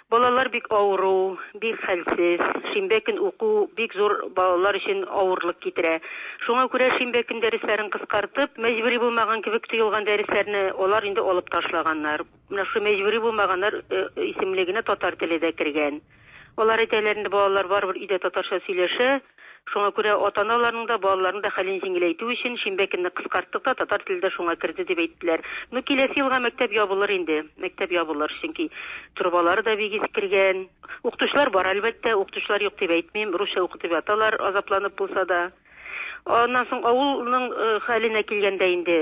Балалар бик авыру, бик хәлсез. Шимбә көн уку бик зур балалар өчен авырлык китерә. Шуңа күрә шимбә көн дәресләрен кыскартып, мәҗбүри булмаган кебек тоелган дәресләрне алар инде алып ташлаганнар. Менә шу мәҗбүри булмаганнар исемлегенә татар теле дә кергән. Алар әйтәләр инде, балалар барыбер өйдә татарча сөйләшә. Шуңа күрә ата-аналарның да, балаларның да хәлен җиңеләйтү өчен шимбә көнне кыскарттык та татар теле дә шуңа керде дип әйттеләр. Ну, киләсе елга мәктәп ябылыр инде. Мәктәп ябылыр, чөнки торбалары да бик искергән. Укытучылар бар, әлбәттә, укытучылар юк дип әйтмим. Русча укытып яталар, азапланып булса да. Аннан соң авылның хәленә килгәндә инде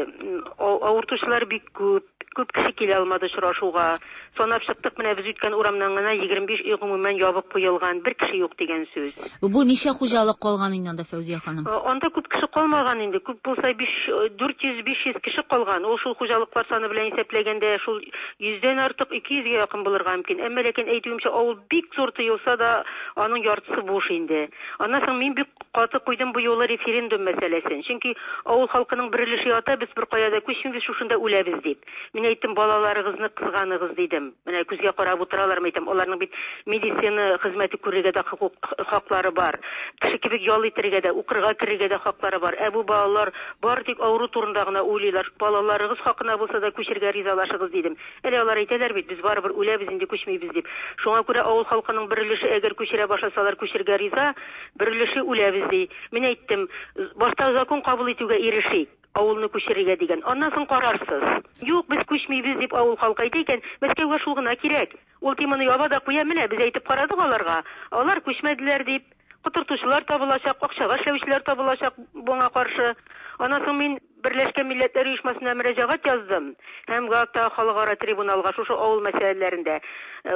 авыртучылар бик күп. Күп кеше килә алмады очрашуга. Санап чыктык, менә без үткән урамнан гына егерме биш өй гомумән ябык куелган, бер кеше юк дигән сүз. Бу ничә хуҗалык калган инде анда, Фәүзия ханым? Анда күп кеше калмаган инде. Күп булса дүрт йөз биш йөз кеше калган. Ул шул хуҗалыклар саны белән исәпләгәндә шул йөздән артык ике йөзгә якын булырга мөмкин. Әмма ләкин әйтүемчә, авыл бик зур тоелса да, аның яртысы буш инде. Аннан соң мин бик каты куйдым бу юлы референдум мәсьәләсен. Чөнки авыл халкының бер өлеше ята, без бер кая да күчмибез, шушында үләбез дип. Мин әйттем, балаларыгызны кызганыгыз дидем. Менә күзгә карап утыралар, әйтәм, аларның бит медицина хезмәте күрергә дә хокук хаклары бар. Кеше кебек ял итәргә дә, укырга керергә дә хаклары бар. Ә бу балалар бар тик авыру турында гына уйлыйлар. Балаларыгыз хакына булса да күчергә ризалашыгыз дидем. Әле алар әйтәләр бит, без барыбер үләбез инде, күчмибез дип. Шуңа күрә авыл халкының бер өлеше әгәр күчерә башласалар, күчергә риза, бер өлеше үләбез ди. Мин әйттем, башта закон кабул итүгә ирешик, авылны күчерергә дигән. Аннан соң карарсыз. Юк, без күчмибез дип авыл халкы әйтә икән, Мәскәүгә шул гына кирәк. Ул теманы яба да куя, менә без әйтеп карадык аларга. Алар күчмәделәр дип, котыртучылар табылачак, акчага эшләүчеләр табылачак буңа каршы. Аннан соң мин Берләшкән Милләтләр Оешмасына мөрәҗәгать яздым һәм Гаагта халыкара трибуналга шушы авыл мәсьәләләрендә.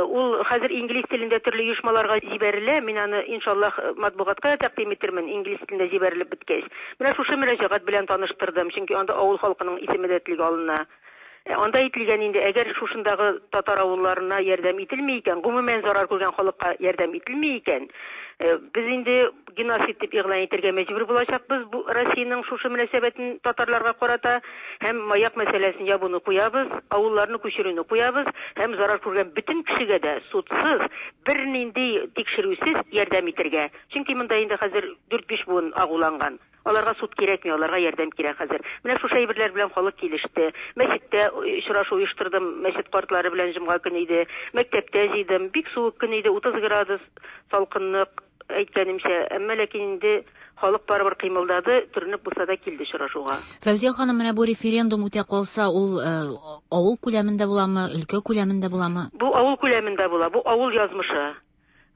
Ул хәзер инглиз телендә төрле оешмаларга җибәрелә. Мин аны иншаллаһ матбугатка тәкъдим итермен, инглиз телендә җибәрелеп беткәч. Менә шушы мөрәҗәгать белән таныштырдым, чөнки анда авыл халкының исеме дә телгә алына. Анда әйтелгән инде, әгәр шушындагы татар авылларына ярдәм ителми икән, гомумән зарар күргән халыкка ярдәм ителми икән, без инде геноцид дип игълан итәргә мәҗбүр булачакбыз бу Россиянең шушы мөнәсәбәтен татарларга карата, һәм маяк мәсьәләсен ябуны куябыз, авылларны күчерүне куябыз, һәм зарар күргән бөтен кешегә дә судсыз, бернинди тикшерүсез ярдәм итәргә. Чөнки монда инде хәзер дүрт-биш буын агуланган. Аларга суд кирәкми, аларга ярдәм кирәк хәзер. Менә шушы әйберләр белән халык килеште. Мәчеттә очрашу оештырдым, мәчет картлары белән җомга көне иде. Мәктәптә җыйдым, бик суык көн иде, утыз градус салкынлык әйткәнемчә, әмма ләкин инде халык барыбер кыймылдады, төренеп булса да килде очрашуга. Фәүзия ханым, менә бу референдум үтә калса, ул авыл күләмендә буламы, өлкә күләмендә буламы? Бу авыл күләмендә була, бу авыл язмышы.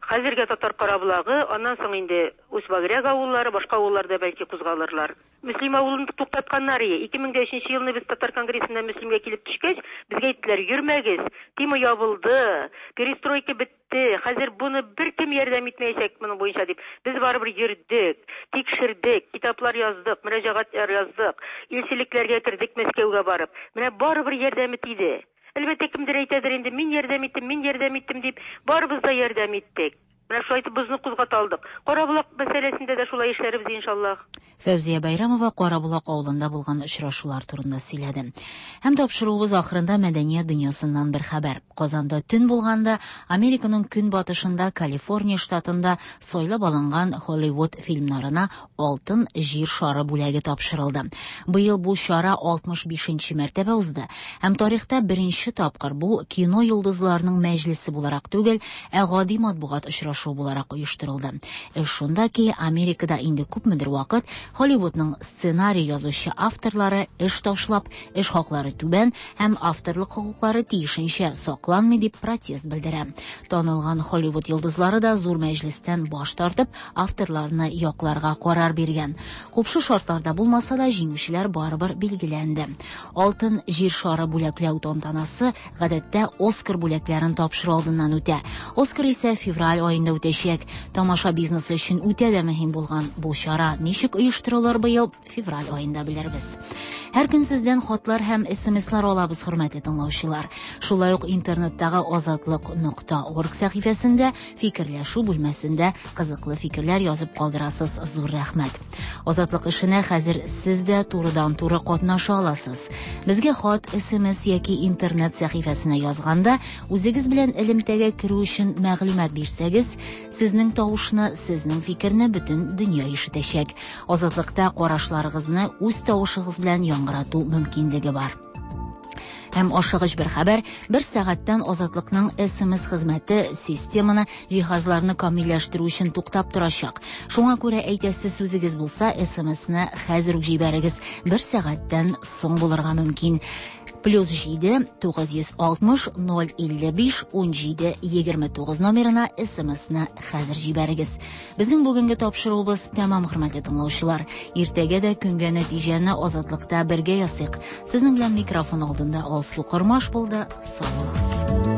Хәзергә татар Карабулагы, аннан соң инде Усть-Багряг авыллары, башка авылларда бәлки кузгалырлар. Мөслим авылын туктатканнар ие. ике мең дә өченче елны без татар конгрессында Мөслимгә килеп төшкәч, безгә әйттеләр, йөрмәгез, тема ябылды, перестройка бетте, хәзер буны беркем ярдәм итмәячәк моның буенча дип. Без барыбер йөрдек, тикшердек, китаплар яздык, мөрәҗәгатьләр яздык, илчелекләргә кердек Мәскәүгә барып. Менә барыбер ярдәме тиде. Әлбәттә, кемдер әйтәдер инде, мин ярдәм иттем, мин ярдәм иттем дип, барыбыз да ярдәм иттек. Менә шулай итеп бозны кузгата алдык. Карабулак мәсьәләсендә дә шулай эшләрбез иншаллаһ. Фәүзия Байрамова Карабулак авылында булган очрашулар турында сөйләде. Һәм тапшыруыбыз ахырында мәдәният дөньясыннан бер хәбәр. Казанда төн булганда Американың көнбатышында Калифорния штатында сайлап алынган Холливуд фильмнарына алтын җир шары бүләге тапшырылды. Быел бу чара алтмыш бишенче мәртәбә узды. Һәм тарихта беренче тапкыр бу кино йолдызларының мәҗлесе буларак түгел, ә гади матбугат очрашу буларак оештырылды. Эш шунда ки, Америкада инде күпмедер вакыт Холливудның сценарий язучы авторлары эш ташлап, эш хаклары түбән һәм авторлык хокуклары тиешенчә сакланмый дип протест белдерә. Танылган Холливуд йолдызлары да зур мәҗлестән баш тартып, авторларны якларга карар биргән. Купшы шартларда булмаса да җиңүчеләр барыбер билгеләнде. Алтын җир шары бүләкләү тантанасы гадәттә Оскар бүләкләрен тапшыру алдыннан үтә. Оскар исә февраль аенда аенда үтәчәк. Тамаша бизнесы өчен үтә дә мөһим булган бу чара ничек оештырылыр быел, февраль аенда белербез. Һәр көн сездән хатлар һәм СМСлар алабыз, хөрмәтле тыңлаучылар. Шулай ук интернеттагы азатлык нокта орг сәхифәсендә фикерләшү бүлмәсендә кызыклы фикерләр язып калдырасыз. Зур рәхмәт. Азатлык эшенә хәзер сез дә турыдан-туры катнаша аласыз. Безгә хат, СМС яки интернет сәхифәсенә язганда үзегез белән элемтәгә керү өчен мәгълүмат бирсәгез, сезнең тавышны, сезнең фикерне бөтен дөнья ишетәчәк. Азатлыкта карашларыгызны үз тавышыгыз белән яңгырату мөмкинлеге бар. Һәм ашыгыч бер хәбәр, бер сәгатьтән Азатлыкның СМС хезмәте системаны җиһазларны камилләштерү өчен туктап торачак. Шуңа күрә әйтәсе сүзегез булса, СМСны хәзер үк җибәрегез. Бер сәгатьтән соң булырга мөмкин. Плюс җиде тугыз йөз алтмыш ноль илле биш ун җиде егерме тугыз номерына СМСны хәзер җибәрегез. Безнең бүгенге тапшыруыбыз тәмам, хөрмәтле тыңлаучылар. Иртәгә дә көнгә нәтиҗәне Азатлыкта бергә ясыйк. Сезнең белән микрофон алдында Алсу Кормаш булды. Сау булыгыз.